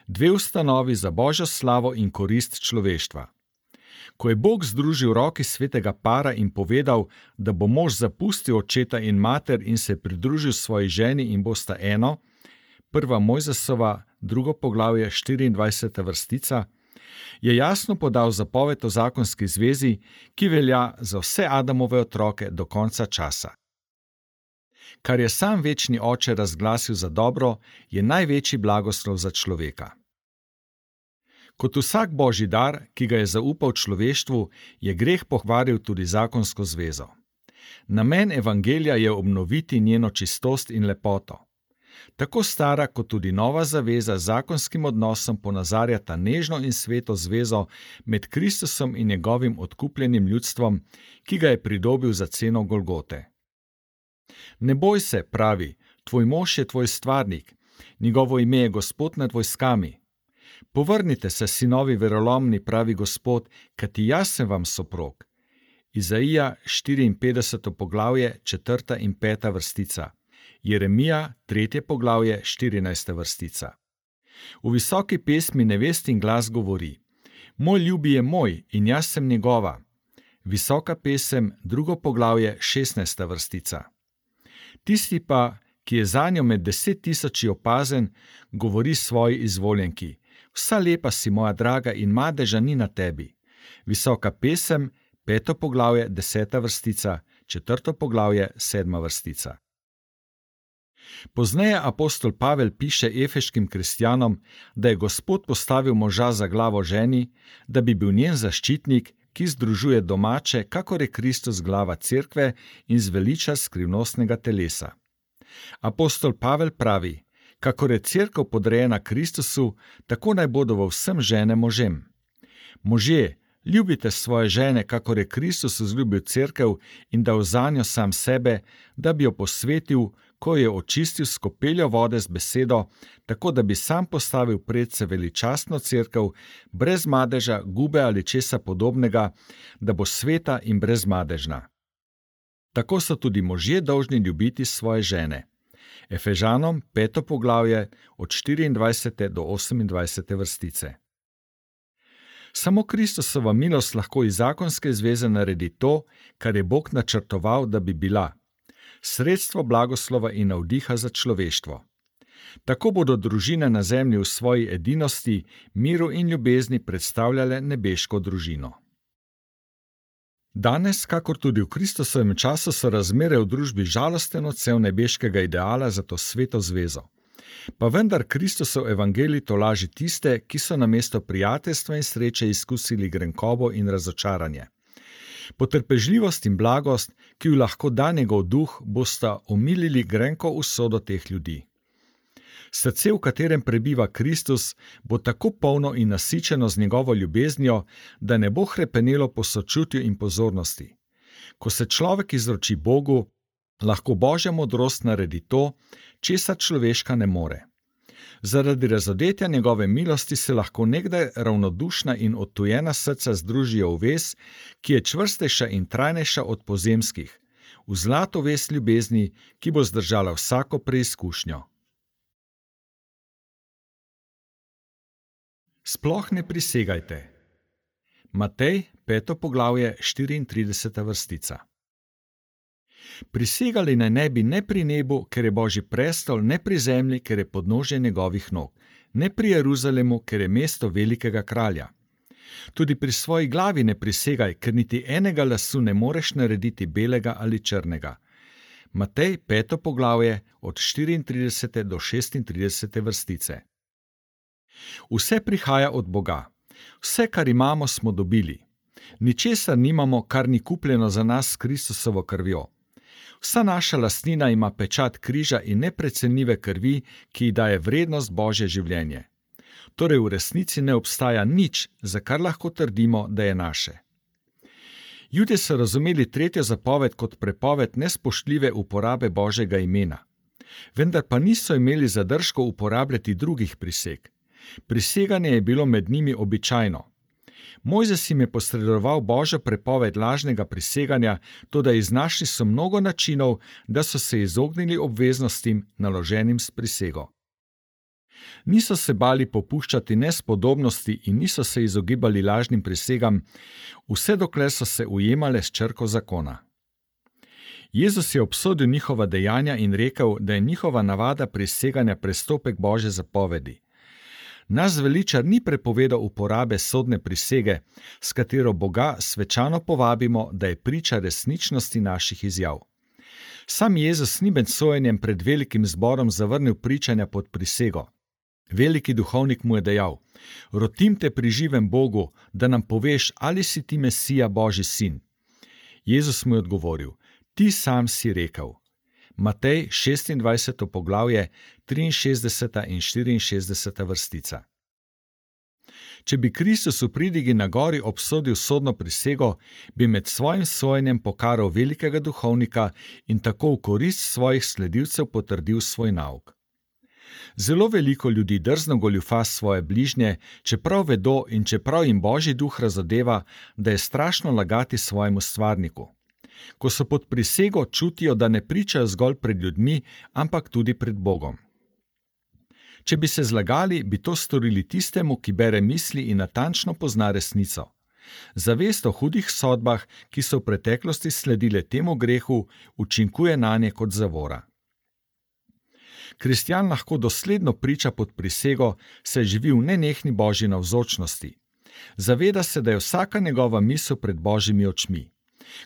dve ustanovi za Božjo slavo in korist človeštva. Ko je Bog združil roki svetega para in povedal, da bo mož zapustil očeta in mater in se pridružil svoji ženi in bosta eno, 1. Mojzesova, 2. poglavje, 24. vrstica, je jasno podal zapoved o zakonski zvezi, ki velja za vse Adamove otroke do konca časa. Kar je sam večni oče razglasil za dobro, je največji blagoslov za človeka. Kot vsak božji dar, ki ga je zaupal človeštvu, je greh pokvaril tudi zakonsko zvezo. Namen evangelija je obnoviti njeno čistost in lepoto. Tako stara kot tudi nova zaveza z zakonskim odnosom ponazarjata nežno in sveto zvezo med Kristusom in njegovim odkupljenim ljudstvom, ki ga je pridobil za ceno Golgote. Ne boj se, pravi, tvoj mož je tvoj stvarnik, njegovo ime je Gospod nad vojskami. Povrnite se, sinovi verolomni, pravi Gospod, kajti jaz sem vam soprog. Izaija, 54. poglavje, 4. in 5. vrstica. Jeremija, 3. poglavje, 14. vrstica. V visoki pesmi nevestin glas govori: Moj ljubi je moj in jaz sem njegova. Visoka pesem, 2. poglavje, 16. vrstica. Tisti pa, ki je zanjo med 10.000 opazen, govori svoji izvoljenki: Vsa lepa si, moja draga, in madeža ni na tebi. Visoka pesem, 5. poglavje, 10. vrstica, 4. poglavje, 7. vrstica. Pozneje apostol Pavel piše efeškim kristjanom, da je Gospod postavil moža za glavo ženi, da bi bil njen zaščitnik, ki združuje domače, kakor je Kristus glava cerkve in zveliča skrivnostnega telesa. Apostol Pavel pravi: Kakor je cerkev podrejena Kristusu, tako naj bodo v vsem žene možem. Možje, ljubite svoje žene, kakor je Kristus vzljubil cerkev in dal zanjo sam sebe, da bi jo posvetil, ko je očistil s kopeljo vode z besedo, tako da bi sam postavil predse veličastno cerkev, brez madeža, gube ali česa podobnega, da bo sveta in brezmadežna. Tako so tudi možje dolžni ljubiti svoje žene. Efežanom, 5. poglavje, od 24. do 28. vrstice. Samo Kristusova milost lahko iz zakonske zveze naredi to, kar je Bog načrtoval, da bi bila: sredstvo blagoslova in navdiha za človeštvo. Tako bodo družine na zemlji v svoji edinosti, miru in ljubezni predstavljale nebeško družino. Danes, kakor tudi v Kristusovem času, so razmere v družbi žalosten odsev nebeškega ideala za to sveto zvezo. Pa vendar Kristusov evangelij tolaži tiste, ki so namesto prijateljstva in sreče izkusili grenkobo in razočaranje. Potrpežljivost in blagost, ki ju lahko da njegov duh, bosta omilili grenko usodo teh ljudi. Srce, v katerem prebiva Kristus, bo tako polno in nasičeno z njegovo ljubeznijo, da ne bo hrepenelo po sočutju in pozornosti. Ko se človek izroči Bogu, lahko Božja modrost naredi to, česar človeška ne more. Zaradi razodetja njegove milosti se lahko nekdaj ravnodušna in odtujena srca združijo v vez, ki je čvrstejša in trajnejša od pozemskih, v zlato vez ljubezni, ki bo zdržala vsako preizkušnjo. Sploh ne prisegajte. Matej, 5. poglavje, 34. vrstica. Prisegali naj ne bi ne pri nebu, ker je Božji prestol, ne pri zemlji, ker je podnožje njegovih nog, ne pri Jeruzalemu, ker je mesto velikega kralja. Tudi pri svoji glavi ne prisegaj, ker niti enega lasu ne moreš narediti belega ali črnega. Matej 5. poglavje od 34. do 36. vrstice. Vse prihaja od Boga. Vse, kar imamo, smo dobili. Ničesar nimamo, kar ni kupljeno za nas s Kristusovo krvjo. Vsa naša lastnina ima pečat križa in neprecenljive krvi, ki ji daje vrednost Božje življenje. Torej v resnici ne obstaja nič, za kar lahko trdimo, da je naše. Judje so razumeli tretjo zapoved kot prepoved nespoštljive uporabe Božjega imena. Vendar pa niso imeli zadržkov uporabljati drugih priseg. Priseganje je bilo med njimi običajno. Mojzes jim je posredoval Božjo prepoved lažnega priseganja, toda iznašli so mnogo načinov, da so se izognili obveznostim, naloženim s prisego. Niso se bali popuščati nespodobnosti in niso se izogibali lažnim prisegam, vse dokler so se ujemale s črko zakona. Jezus je obsodil njihova dejanja in rekel, da je njihova navada priseganja prestopek Božje zapovedi. Naš zveličar ni prepovedal uporabe sodne prisege, s katero Boga svečano povabimo, da je priča resničnosti naših izjav. Sam Jezus ni med sojenjem pred velikim zborom zavrnil pričanja pod prisego. Veliki duhovnik mu je dejal: "Rotim te pri živem Bogu, da nam poveš, ali si ti Mesija, Božji sin." Jezus mu je odgovoril: "Ti sam si rekel." Matej 26. poglavje, 63. in 64. vrstica. Če bi Kristus v pridigi na gori obsodil sodno prisego, bi med svojim sojenjem pokaral velikega duhovnika in tako v korist svojih sledilcev potrdil svoj nauk. Zelo veliko ljudi drzno goljufa svoje bližnje, čeprav vedo in čeprav jim Božji duh razodeva, da je strašno lagati svojemu stvarniku. Ko so pod prisego, čutijo, da ne pričajo zgolj pred ljudmi, ampak tudi pred Bogom. Če bi se zlagali, bi to storili tistemu, ki bere misli in natančno pozna resnico. Zavest o hudih sodbah, ki so v preteklosti sledile temu grehu, učinkuje nanje kot zavora. Kristjan lahko dosledno priča pod prisego, saj živi v nenehni Božji navzočnosti. Zaveda se, da je vsaka njegova misel pred Božjimi očmi.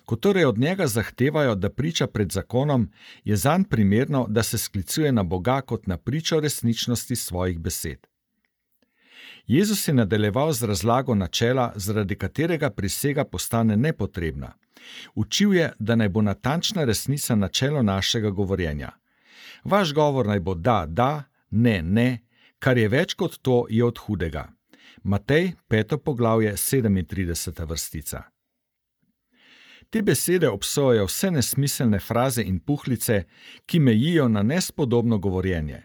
Ko torej od njega zahtevajo, da priča pred zakonom, je zanj primerno, da se sklicuje na Boga kot na pričo resničnosti svojih besed. Jezus je nadaljeval z razlago načela, zaradi katerega prisega postane nepotrebna. Učil je, da naj bo natančna resnica načelo našega govorjenja. Vaš govor naj bo da, da, ne, ne, kar je več kot to, je od hudega. Matej 5. poglavje, 37. vrstica. Te besede obsojajo vse nesmiselne fraze in puhlice, ki mejijo na nespodobno govorjenje.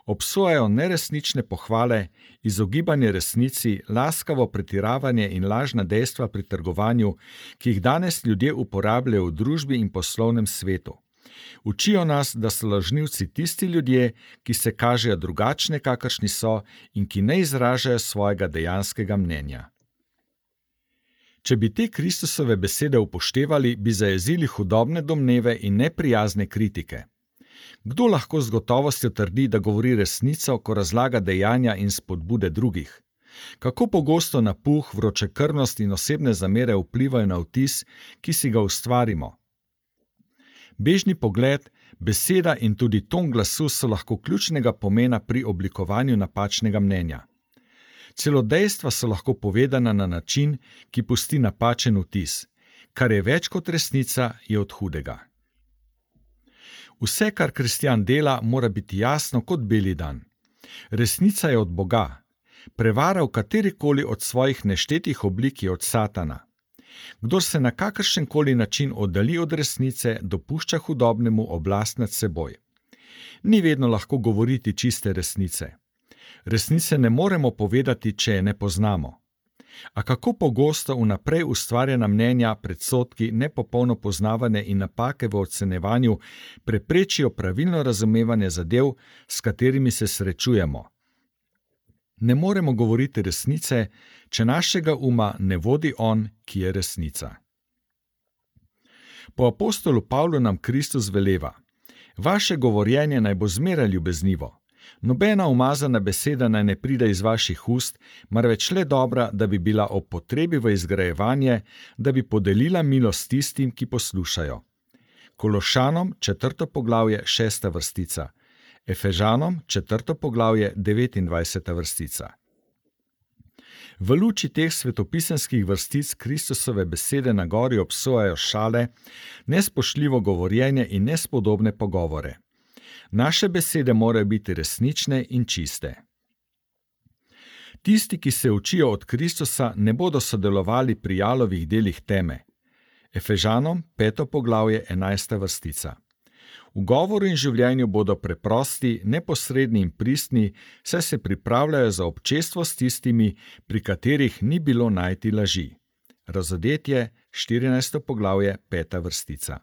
Obsojajo neresnične pohvale, izogibanje resnici, laskavo pretiravanje in lažna dejstva pri trgovanju, ki jih danes ljudje uporabljajo v družbi in poslovnem svetu. Učijo nas, da so lažnivci tisti ljudje, ki se kažejo drugačne, kakršni so, in ki ne izražajo svojega dejanskega mnenja. Če bi te Kristusove besede upoštevali, bi zajezili hudobne domneve in neprijazne kritike. Kdo lahko z gotovostjo trdi, da govori resnico, ko razlaga dejanja in spodbude drugih? Kako pogosto napuh, vročekrvnost in osebne zamere vplivajo na vtis, ki si ga ustvarimo? Bežni pogled, beseda in tudi ton glasu so lahko ključnega pomena pri oblikovanju napačnega mnenja. Celo dejstva so lahko povedana na način, ki pusti napačen vtis. Kar je več kot resnica, je od hudega. Vse, kar kristjan dela, mora biti jasno kot beli dan. Resnica je od Boga. Prevara v katerikoli od svojih neštetih oblik je od Satana. Kdor se na kakršenkoli način oddalji od resnice, dopušča hudobnemu oblast nad seboj. Ni vedno lahko govoriti čiste resnice. Resnice ne moremo povedati, če je ne poznamo. A kako pogosto vnaprej ustvarjena mnenja, predsodki, nepopolno poznavanje in napake v ocenjevanju preprečijo pravilno razumevanje zadev, s katerimi se srečujemo. Ne moremo govoriti resnice, če našega uma ne vodi On, ki je resnica. Po apostolu Pavlu nam Kristus veleva: Vaše govorjenje naj bo zmeraj ljubeznivo. Nobena umazana beseda naj ne pride iz vaših ust, marveč le dobra, da bi bila ob potrebi v izgrajevanje, da bi podelila milost tistim, ki poslušajo. Kološanom 4. poglavje 6. vrstica, Efežanom 4. poglavje 29. vrstica. V luči teh svetopisemskih vrstic Kristusove besede na gori obsojajo šale, nespoštljivo govorjenje in nespodobne pogovore. Naše besede morajo biti resnične in čiste. Tisti, ki se učijo od Kristusa, ne bodo sodelovali pri jalovih delih teme. Efežanom 5. poglavje 11. vrstica. V govoru in življenju bodo preprosti, neposredni in pristni, saj se pripravljajo za občestvo s tistimi, pri katerih ni bilo najti laži. Razodetje 14. poglavje 5. vrstica.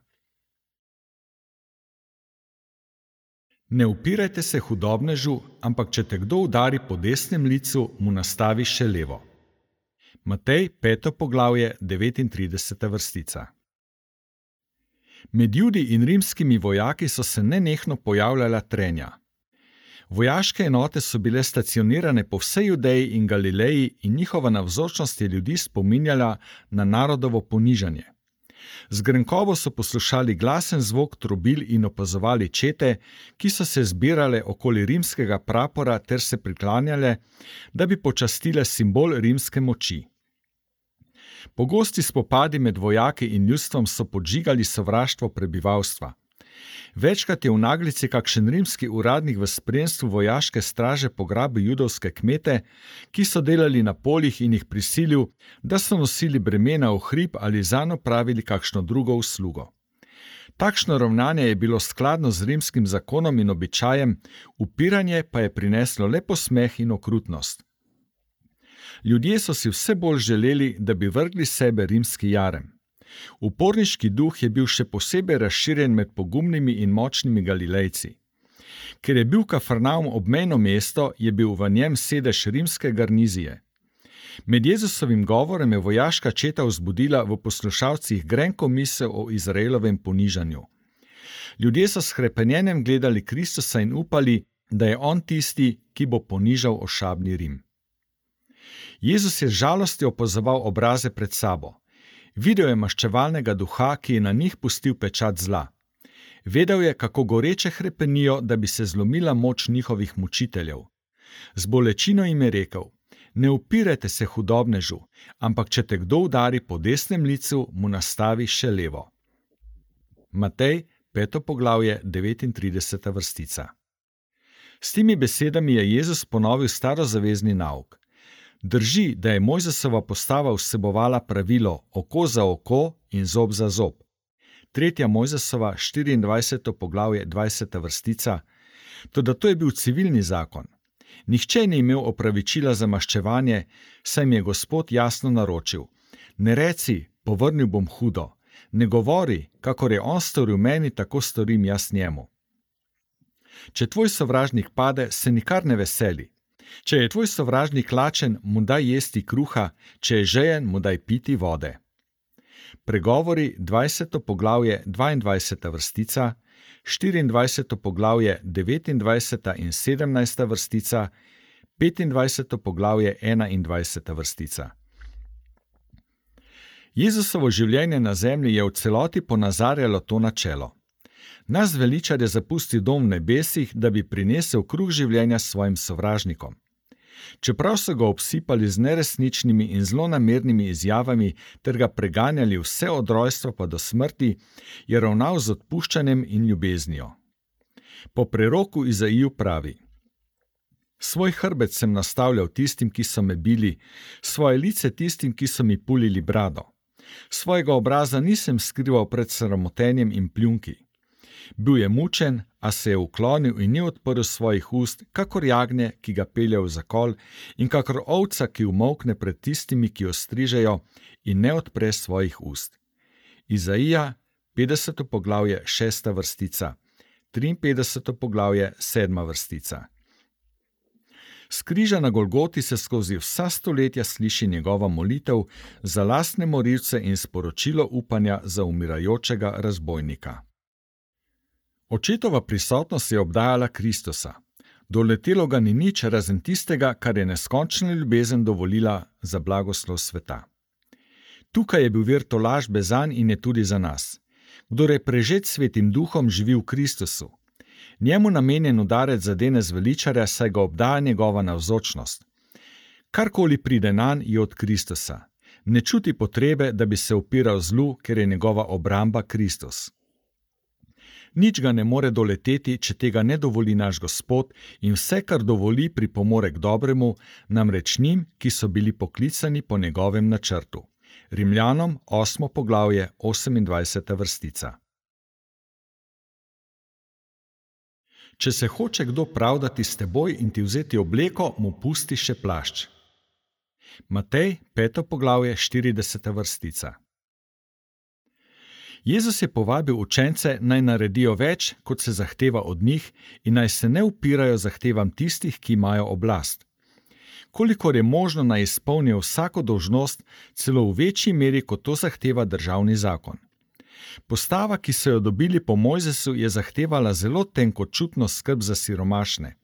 Ne upirajte se hudobnežu, ampak če te kdo udari po desnem licu, mu nastavi še levo. Matej 5. poglavje 39. vrstica. Med Judi in rimskimi vojaki so se nenehno pojavljala trenja. Vojaške enote so bile stacionirane po vsej Judeji in Galileji in njihova navzočnost je ljudi spominjala na narodovo ponižanje. Z grenkobo so poslušali glasen zvok trobil in opazovali čete, ki so se zbirale okoli rimskega prapora ter se priklanjale, da bi počastile simbol rimske moči. Pogosti spopadi med vojaki in ljudstvom so podžigali sovraštvo prebivalstva. Večkrat je v naglici kakšen rimski uradnik v spremstvu vojaške straže pograbil judovske kmete, ki so delali na poljih in jih prisilil, da so nosili bremena v hrib ali zanj opravili kakšno drugo uslugo. Takšno ravnanje je bilo skladno z rimskim zakonom in običajem, upiranje pa je prineslo le posmeh in okrutnost. Ljudje so si vse bolj želeli, da bi vrgli sebe rimski jarem. Uporniški duh je bil še posebej razširjen med pogumnimi in močnimi Galilejci. Ker je bil Kafarnaum obmejno mesto, je bil v njem sedež rimske garnizije. Med Jezusovim govorem je vojaška četa vzbudila v poslušalcih grenko misel o Izraelovem ponižanju. Ljudje so s hrepenjenjem gledali Kristusa in upali, da je on tisti, ki bo ponižal ošabni Rim. Jezus je z žalostjo opazoval obraze pred sabo. Videl je maščevalnega duha, ki je na njih pustil pečat zla. Vedel je, kako goreče hrepenijo, da bi se zlomila moč njihovih mučiteljev. Z bolečino jim je rekel: ne upirajte se hudobnežu, ampak če te kdo udari po desnem licu, mu nastavi še levo. Matej 5. poglavje 39. vrstica. S temi besedami je Jezus ponovil starozavezni nauk. Drži, da je Mojzesova postava vsebovala pravilo oko za oko in zob za zob. 3. Mojzesova 24. poglavje 20. vrstica, toda to je bil civilni zakon. Nihče ni imel opravičila za maščevanje, saj mi je Gospod jasno naročil: ne reci, povrnil bom hudo, ne govori, kakor je on storil meni, tako storim jaz njemu. Če tvoj sovražnik pade, se nikar ne veseli. Če je tvoj sovražnik lačen, mu daj jesti kruha, če je žejen, mu daj piti vode. Pregovori 20. poglavje 22. vrstica, 24. poglavje 29. in 17. vrstica, 25. poglavje 21. vrstica. Jezusovo življenje na zemlji je v celoti ponazarjalo to načelo. Naš zveličar je zapustil dom v nebesih, da bi prinesel kruh življenja svojim sovražnikom. Čeprav so ga obsipali z neresničnimi in zlonamernimi izjavami ter ga preganjali vse od rojstva pa do smrti, je ravnal z odpuščanjem in ljubeznijo. Po preroku Izaiju pravi: svoj hrbet sem nastavljal tistim, ki so me bili, svoje lice tistim, ki so mi pulili brado. Svojega obraza nisem skrival pred sramotenjem in pljunki. Bil je mučen, a se je uklonil in ni odprl svojih ust, kakor jagnje, ki ga pelje v zakol, in kakor ovca, ki umolkne pred tistimi, ki jo strižejo, in ne odpre svojih ust. Izaija 50. poglavje 6. vrstica, 53. poglavje 7. vrstica. S križa na Golgoti se skozi vsa stoletja sliši njegova molitev za lastne morilce in sporočilo upanja za umirajočega razbojnika. Očetova prisotnost je obdajala Kristusa. Doletelo ga ni nič razen tistega, kar je neskončna ljubezen dovolila za blagoslov sveta. Tukaj je bil vir tolažbe zanj in je tudi za nas. Kdor je prežet Svetim Duhom, živi v Kristusu. Njemu namenjen udarec zadene zveličarja, saj ga obdaja njegova navzočnost. Karkoli pride nanj, je od Kristusa. Ne čuti potrebe, da bi se upiral zlu, ker je njegova obramba Kristus. Nič ga ne more doleteti, če tega ne dovoli naš Gospod, in vse, kar dovoli, pripomore k dobremu, namreč njim, ki so bili poklicani po njegovem načrtu. Rimljanom 8. poglavje 28. vrstica. Če se hoče kdo pravdati s teboj in ti vzeti obleko, mu pusti še plašč. Matej 5. poglavje 40. vrstica. Jezus je povabil učence, naj naredijo več, kot se zahteva od njih, in naj se ne upirajo zahtevam tistih, ki imajo oblast. Kolikor je možno, naj izpolnijo vsako dolžnost, celo v večji meri, kot to zahteva državni zakon. Postava, ki so jo dobili po Mojzesu, je zahtevala zelo tenkočutno skrb za siromašne.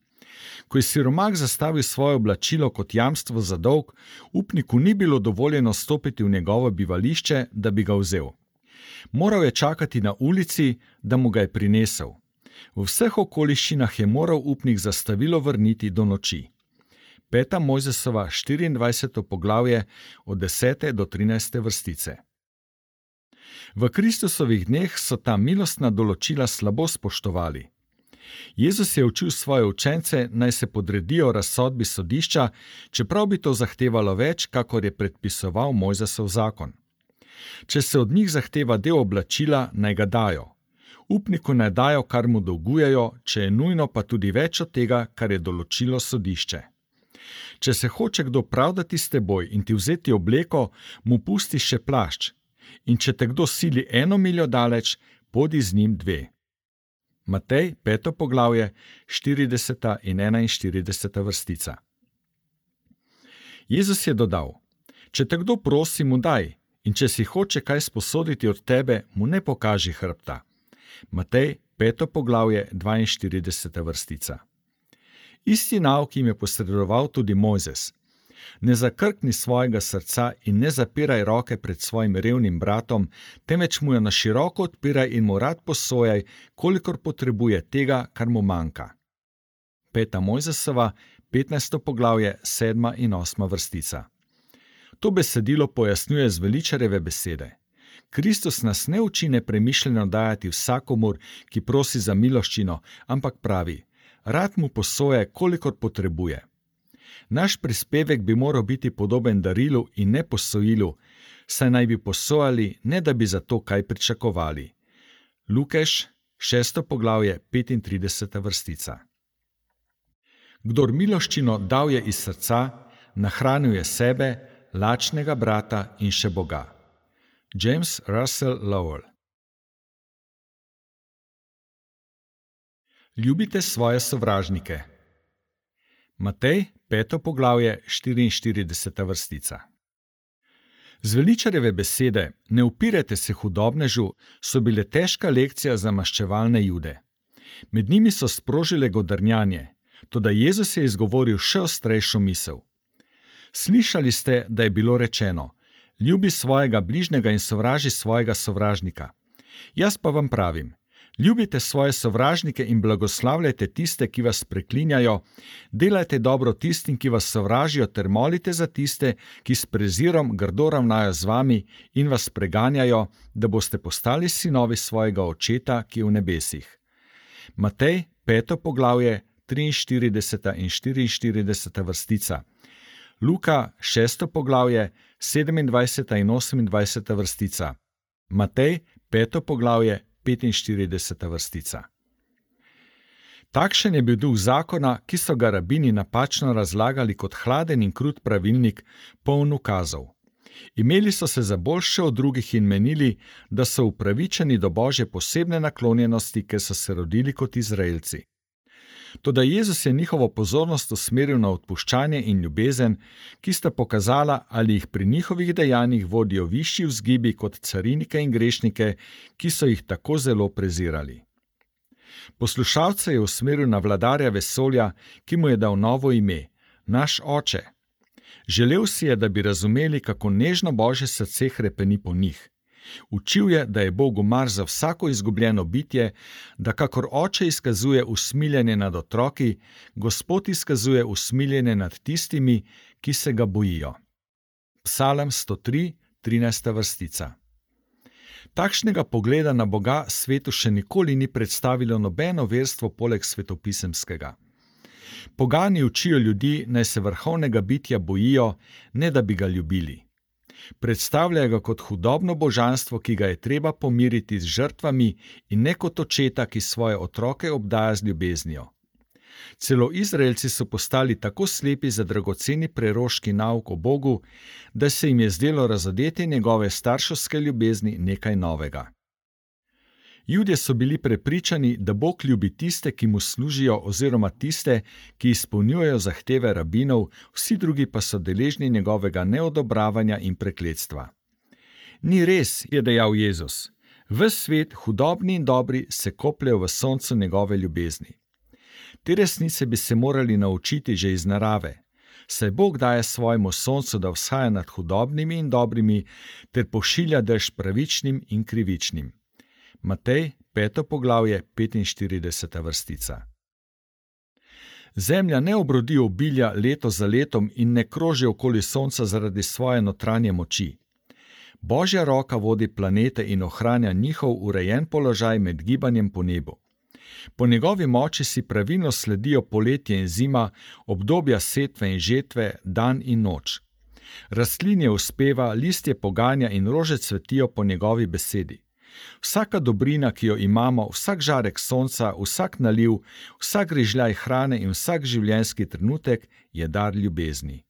Ko je siromah zastavil svoje oblačilo kot jamstvo za dolg, upniku ni bilo dovoljeno stopiti v njegovo bivališče, da bi ga vzel. Moral je čakati na ulici, da mu ga je prinesel. V vseh okoliščinah je moral upnik zastavilo vrniti do noči. 5. Mojzesova 24. poglavje od 10. do 13. vrstice. V Kristusovih dneh so ta milostna določila slabo spoštovali. Jezus je učil svoje učence, naj se podredijo razsodbi sodišča, čeprav bi to zahtevalo več, kakor je predpisoval Mojzesov zakon. Če se od njih zahteva del oblačila, naj ga dajo. Upniku naj dajo, kar mu dolgujejo, če je nujno, pa tudi več od tega, kar je določilo sodišče. Če se hoče kdo pravdati s teboj in ti vzeti obleko, mu pusti še plašč. In če te kdo sili 1 miljo daleč, pojdi z njim 2. Matej 5. poglavje 40. in 41. vrstica. Jezus je dodal: če te kdo prosi, mu daj, in če si hoče kaj sposoditi od tebe, mu ne pokaži hrbta. Matej 5. poglavje 42. vrstica. Isti nauk jim je posredoval tudi Mojzes. Ne zakrkni svojega srca in ne zapiraj roke pred svojim revnim bratom, temveč mu jo na široko odpiraj in mu rad posojaj, kolikor potrebuje tega, kar mu manjka. 5. Mojzesova 15. poglavje 7. in 8. vrstica. To besedilo pojasnjuje zveličarjeve besede. Kristus nas ne uči nepremišljeno dajati vsakomur, ki prosi za miloščino, ampak pravi: rad mu posoje, kolikor potrebuje. Naš prispevek bi moral biti podoben darilu in ne posojilu, saj naj bi posojali, ne da bi za to kaj pričakovali. Lukeš 6. poglavje 35. vrstica. Kdor miloščino dal je iz srca, nahranil je sebe, lačnega brata in še Boga. James Russell Lowell. Ljubite svoje sovražnike. Matej 5. poglavje 44. vrstica. Zveličarjeve besede "ne upirajte se hudobnežu" so bile težka lekcija za maščevalne Jude. Med njimi so sprožile godrnjanje, toda Jezus je izgovoril še ostrejšo misel. Slišali ste, da je bilo rečeno: ljubi svojega bližnjega in sovraži svojega sovražnika. Jaz pa vam pravim: ljubite svoje sovražnike in blagoslavljajte tiste, ki vas preklinjajo, delajte dobro tistim, ki vas sovražijo, ter molite za tiste, ki s prezirom grdo ravnajo z vami in vas preganjajo, da boste postali sinovi svojega Očeta, ki je v nebesih. Matej 5. poglavje 43. in 44. vrstica. Luka 6. poglavje 27. in 28. vrstica. Matej 5. poglavje 45. vrstica. Takšen je bil duh zakona, ki so ga rabini napačno razlagali kot hladen in krut pravilnik, poln ukazov. Imeli so se za boljše od drugih in menili, da so upravičeni do Božje posebne naklonjenosti, ker so se rodili kot Izraelci. Toda Jezus je njihovo pozornost usmeril na odpuščanje in ljubezen, ki sta pokazala, ali jih pri njihovih dejanjih vodijo višji vzgibi kot carinike in grešnike, ki so jih tako zelo prezirali. Poslušalce je usmeril na vladarja vesolja, ki mu je dal novo ime, naš Oče. Želel si je, da bi razumeli, kako nežno Božje srce hrepeni po njih. Učil je, da je Bogu mar za vsako izgubljeno bitje, da kakor oče izkazuje usmiljenje nad otroki, Gospod izkazuje usmiljenje nad tistimi, ki se ga bojijo. Psalm 103, 13. vrstica. Takšnega pogleda na Boga svetu še nikoli ni predstavilo nobeno verstvo poleg svetopisemskega. Pogani učijo ljudi, naj se vrhovnega bitja bojijo, ne da bi ga ljubili. Predstavljajo ga kot hudobno božanstvo, ki ga je treba pomiriti z žrtvami, in ne kot očeta, ki svoje otroke obdaja z ljubeznijo. Celo Izraelci so postali tako slepi za dragoceni preroški nauk o Bogu, da se jim je zdelo razodetje njegove starševske ljubezni nekaj novega. Judje so bili prepričani, da Bog ljubi tiste, ki mu služijo, oziroma tiste, ki izpolnjujejo zahteve rabinov, vsi drugi pa so deležni njegovega neodobravanja in prekletstva. Ni res, je dejal Jezus. Ves svet, hudobni in dobri, se kopljejo v soncu njegove ljubezni. Te resnice bi se morali naučiti že iz narave, saj Bog daje svojemu soncu, da vzhaja nad hudobnimi in dobrimi, ter pošilja dež pravičnim in krivičnim. Matej, 5. poglavje, 45. vrstica. Zemlja ne obrodi obilja leto za letom in ne kroži okoli sonca zaradi svoje notranje moči. Božja roka vodi planete in ohranja njihov urejen položaj med gibanjem po nebu. Po njegovi moči si pravilno sledijo poletje in zima, obdobja setve in žetve, dan in noč. Rastlinje uspeva, listje poganja in rože cvetijo po njegovi besedi. Vsaka dobrina, ki jo imamo, vsak žarek sonca, vsak naliv, vsak grižljaj hrane in vsak življenjski trenutek je dar ljubezni.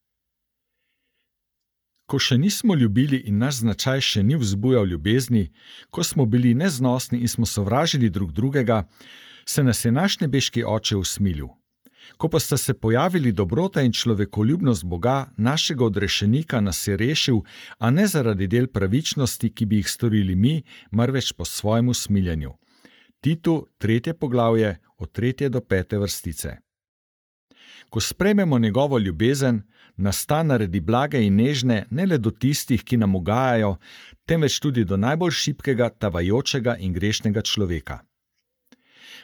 Ko še nismo ljubili in naš značaj še ni vzbujal ljubezni, ko smo bili neznosni in smo sovražili drug drugega, se nas je naš nebeški Oče usmilil. Ko pa sta se pojavili dobrota in človekoljubnost Boga, našega odrešenika nas je rešil, a ne zaradi del pravičnosti, ki bi jih storili mi, marveč po svojem usmiljenju. Titu, 3. poglavje, od 3. do 5. vrstice. Ko sprejmemo njegovo ljubezen, nas ta naredi blage in nežne ne le do tistih, ki nam ugajajo, temveč tudi do najbolj šibkega, tavajočega in grešnega človeka.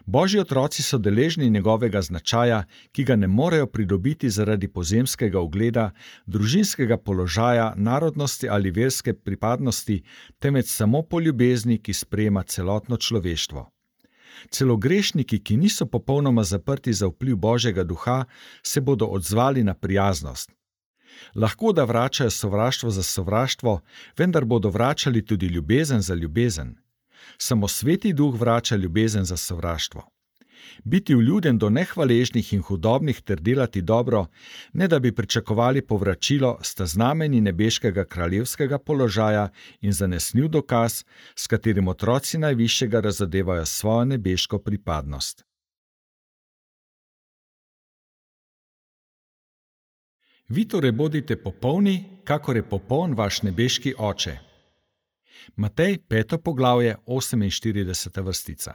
Božji otroci so deležni njegovega značaja, ki ga ne morejo pridobiti zaradi pozemskega ugleda, družinskega položaja, narodnosti ali verske pripadnosti, temveč samo po ljubezni, ki sprejema celotno človeštvo. Celo grešniki, ki niso popolnoma zaprti za vpliv Božjega duha, se bodo odzvali na prijaznost. Lahko da vračajo sovraštvo za sovraštvo, vendar bodo vračali tudi ljubezen za ljubezen. Samo Sveti Duh vrača ljubezen za sovraštvo. Biti vljuden do nehvaležnih in hudobnih ter delati dobro, ne da bi pričakovali povračilo, sta znamenji nebeškega kraljevskega položaja in zanesljiv dokaz, s katerim otroci najvišjega razadevajo svojo nebeško pripadnost. Vi torej bodite popolni, kakor je popoln vaš nebeški Oče. Matej, 5. poglavje, 48. vrstica.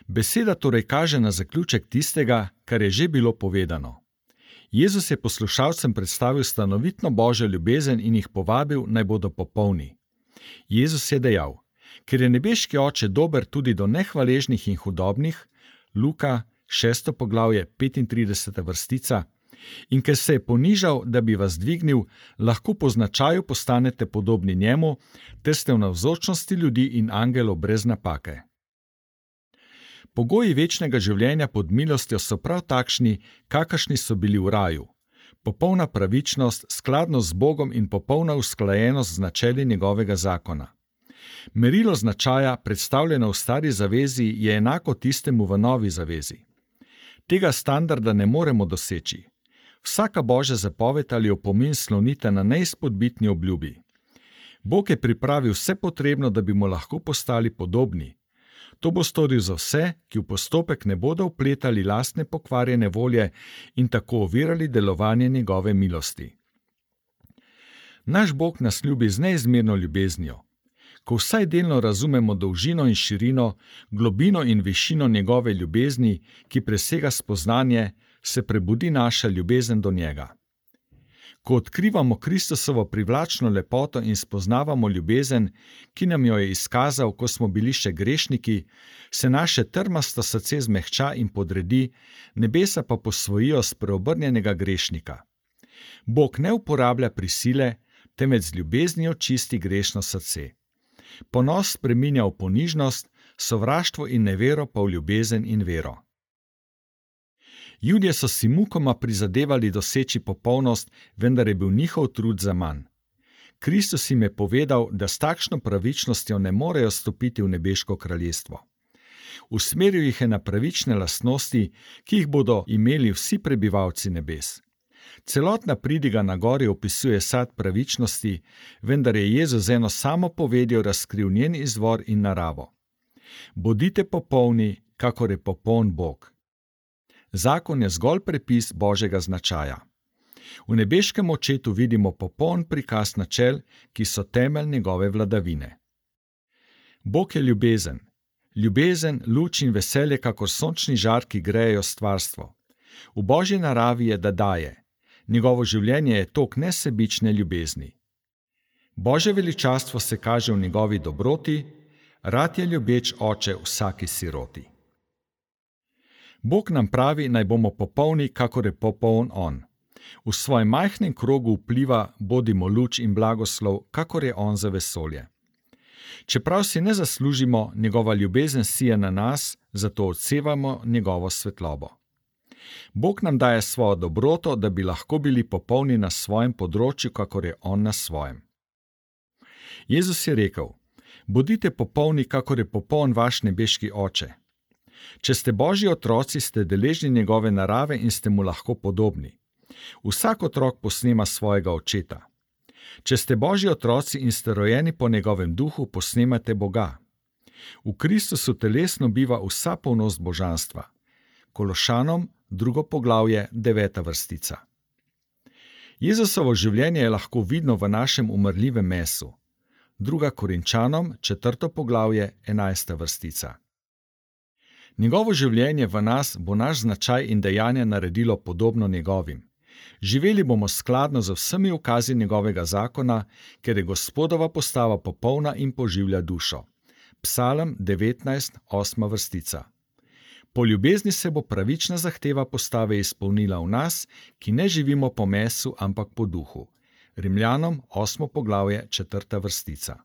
Beseda torej kaže na zaključek tistega, kar je že bilo povedano. Jezus je poslušalcem predstavil stanovitno Božjo ljubezen in jih povabil, naj bodo popolni. Jezus je dejal: ker je nebeški Oče dober tudi do nehvaležnih in hudobnih, Luka, 6. poglavje, 35. vrstica, in ker se je ponižal, da bi vas dvignil, lahko po značaju postanete podobni njemu, ter ste v navzočnosti ljudi in angelov brez napake. Pogoji večnega življenja pod milostjo so prav takšni, kakršni so bili v raju. Popolna pravičnost, skladnost z Bogom in popolna usklajenost z načeli njegovega zakona. Merilo značaja, predstavljeno v stari zavezi, je enako tistemu v novi zavezi. Tega standarda ne moremo doseči. Vsaka Božja zapoved ali opomin slonita na neizpodbitni obljubi. Bog je pripravil vse potrebno, da bi mu lahko postali podobni. To bo storil za vse, ki v postopek ne bodo vpletali lastne pokvarjene volje in tako ovirali delovanje njegove milosti. Naš Bog nas ljubi z neizmerno ljubeznijo. Ko vsaj delno razumemo dolžino in širino, globino in višino njegove ljubezni, ki presega spoznanje, se prebudi naša ljubezen do njega. Ko odkrivamo Kristusovo privlačno lepoto in spoznavamo ljubezen, ki nam jo je izkazal, ko smo bili še grešniki, se naše trmasto srce zmehča in podredi, nebesa pa posvojijo spreobrnjenega grešnika. Bog ne uporablja prisile, temveč z ljubeznijo čisti grešno srce. Ponos spreminja v ponižnost, sovraštvo in nevero pa v ljubezen in vero. Judje so si mukoma prizadevali doseči popolnost, vendar je bil njihov trud zaman. Kristus jim je povedal, da s takšno pravičnostjo ne morejo stopiti v nebeško kraljestvo. Usmeril jih je na pravične lastnosti, ki jih bodo imeli vsi prebivalci nebes. Celotna pridiga na gori opisuje sad pravičnosti, vendar je Jezus z eno samo povedjo razkril njen izvor in naravo. Bodite popolni, kakor je popoln Bog. Zakon je zgolj prepis Božjega značaja. V nebeškem očetu vidimo popoln prikaz načel, ki so temelj njegove vladavine. Bog je ljubezen. Ljubezen, luč in veselje, kakor sončni žar, ki grejejo stvarstvo. V Božji naravi je, da daje. Njegovo življenje je tok nesebične ljubezni. Božje veličastvo se kaže v njegovi dobroti, rad je ljubeč oče vsaki siroti. Bog nam pravi, naj bomo popolni, kakor je popoln on. V svojem majhnem krogu vpliva bodimo luč in blagoslov, kakor je on za vesolje. Čeprav si ne zaslužimo, njegova ljubezen sije na nas, zato odsevamo njegovo svetlobo. Bog nam daje svojo dobroto, da bi lahko bili popolni na svojem področju, kakor je on na svojem. Jezus je rekel: bodite popolni, kakor je popoln vaš nebeški oče. Če ste Božji otroci, ste deležni njegove narave in ste mu lahko podobni. Vsak otrok posnema svojega očeta. Če ste Božji otroci in ste rojeni po njegovem duhu, posnemate Boga. V Kristusu telesno biva vsa polnost božanstva. Kološanom, 2. poglavje, 9. vrstica. Jezusovo življenje je lahko vidno v našem umrljivem mesu. 2. Korinčanom, 4. poglavje, 11. vrstica. Njegovo življenje v nas bo naš značaj in dejanja naredilo podobno njegovim. Živeli bomo skladno z vsemi ukazi njegovega zakona, ker je Gospodova postava popolna in poživlja dušo. Psalm 19, 8. vrstica. Po ljubezni se bo pravična zahteva postave izpolnila v nas, ki ne živimo po mesu, ampak po duhu. Rimljanom, 8. poglavje, 4. vrstica.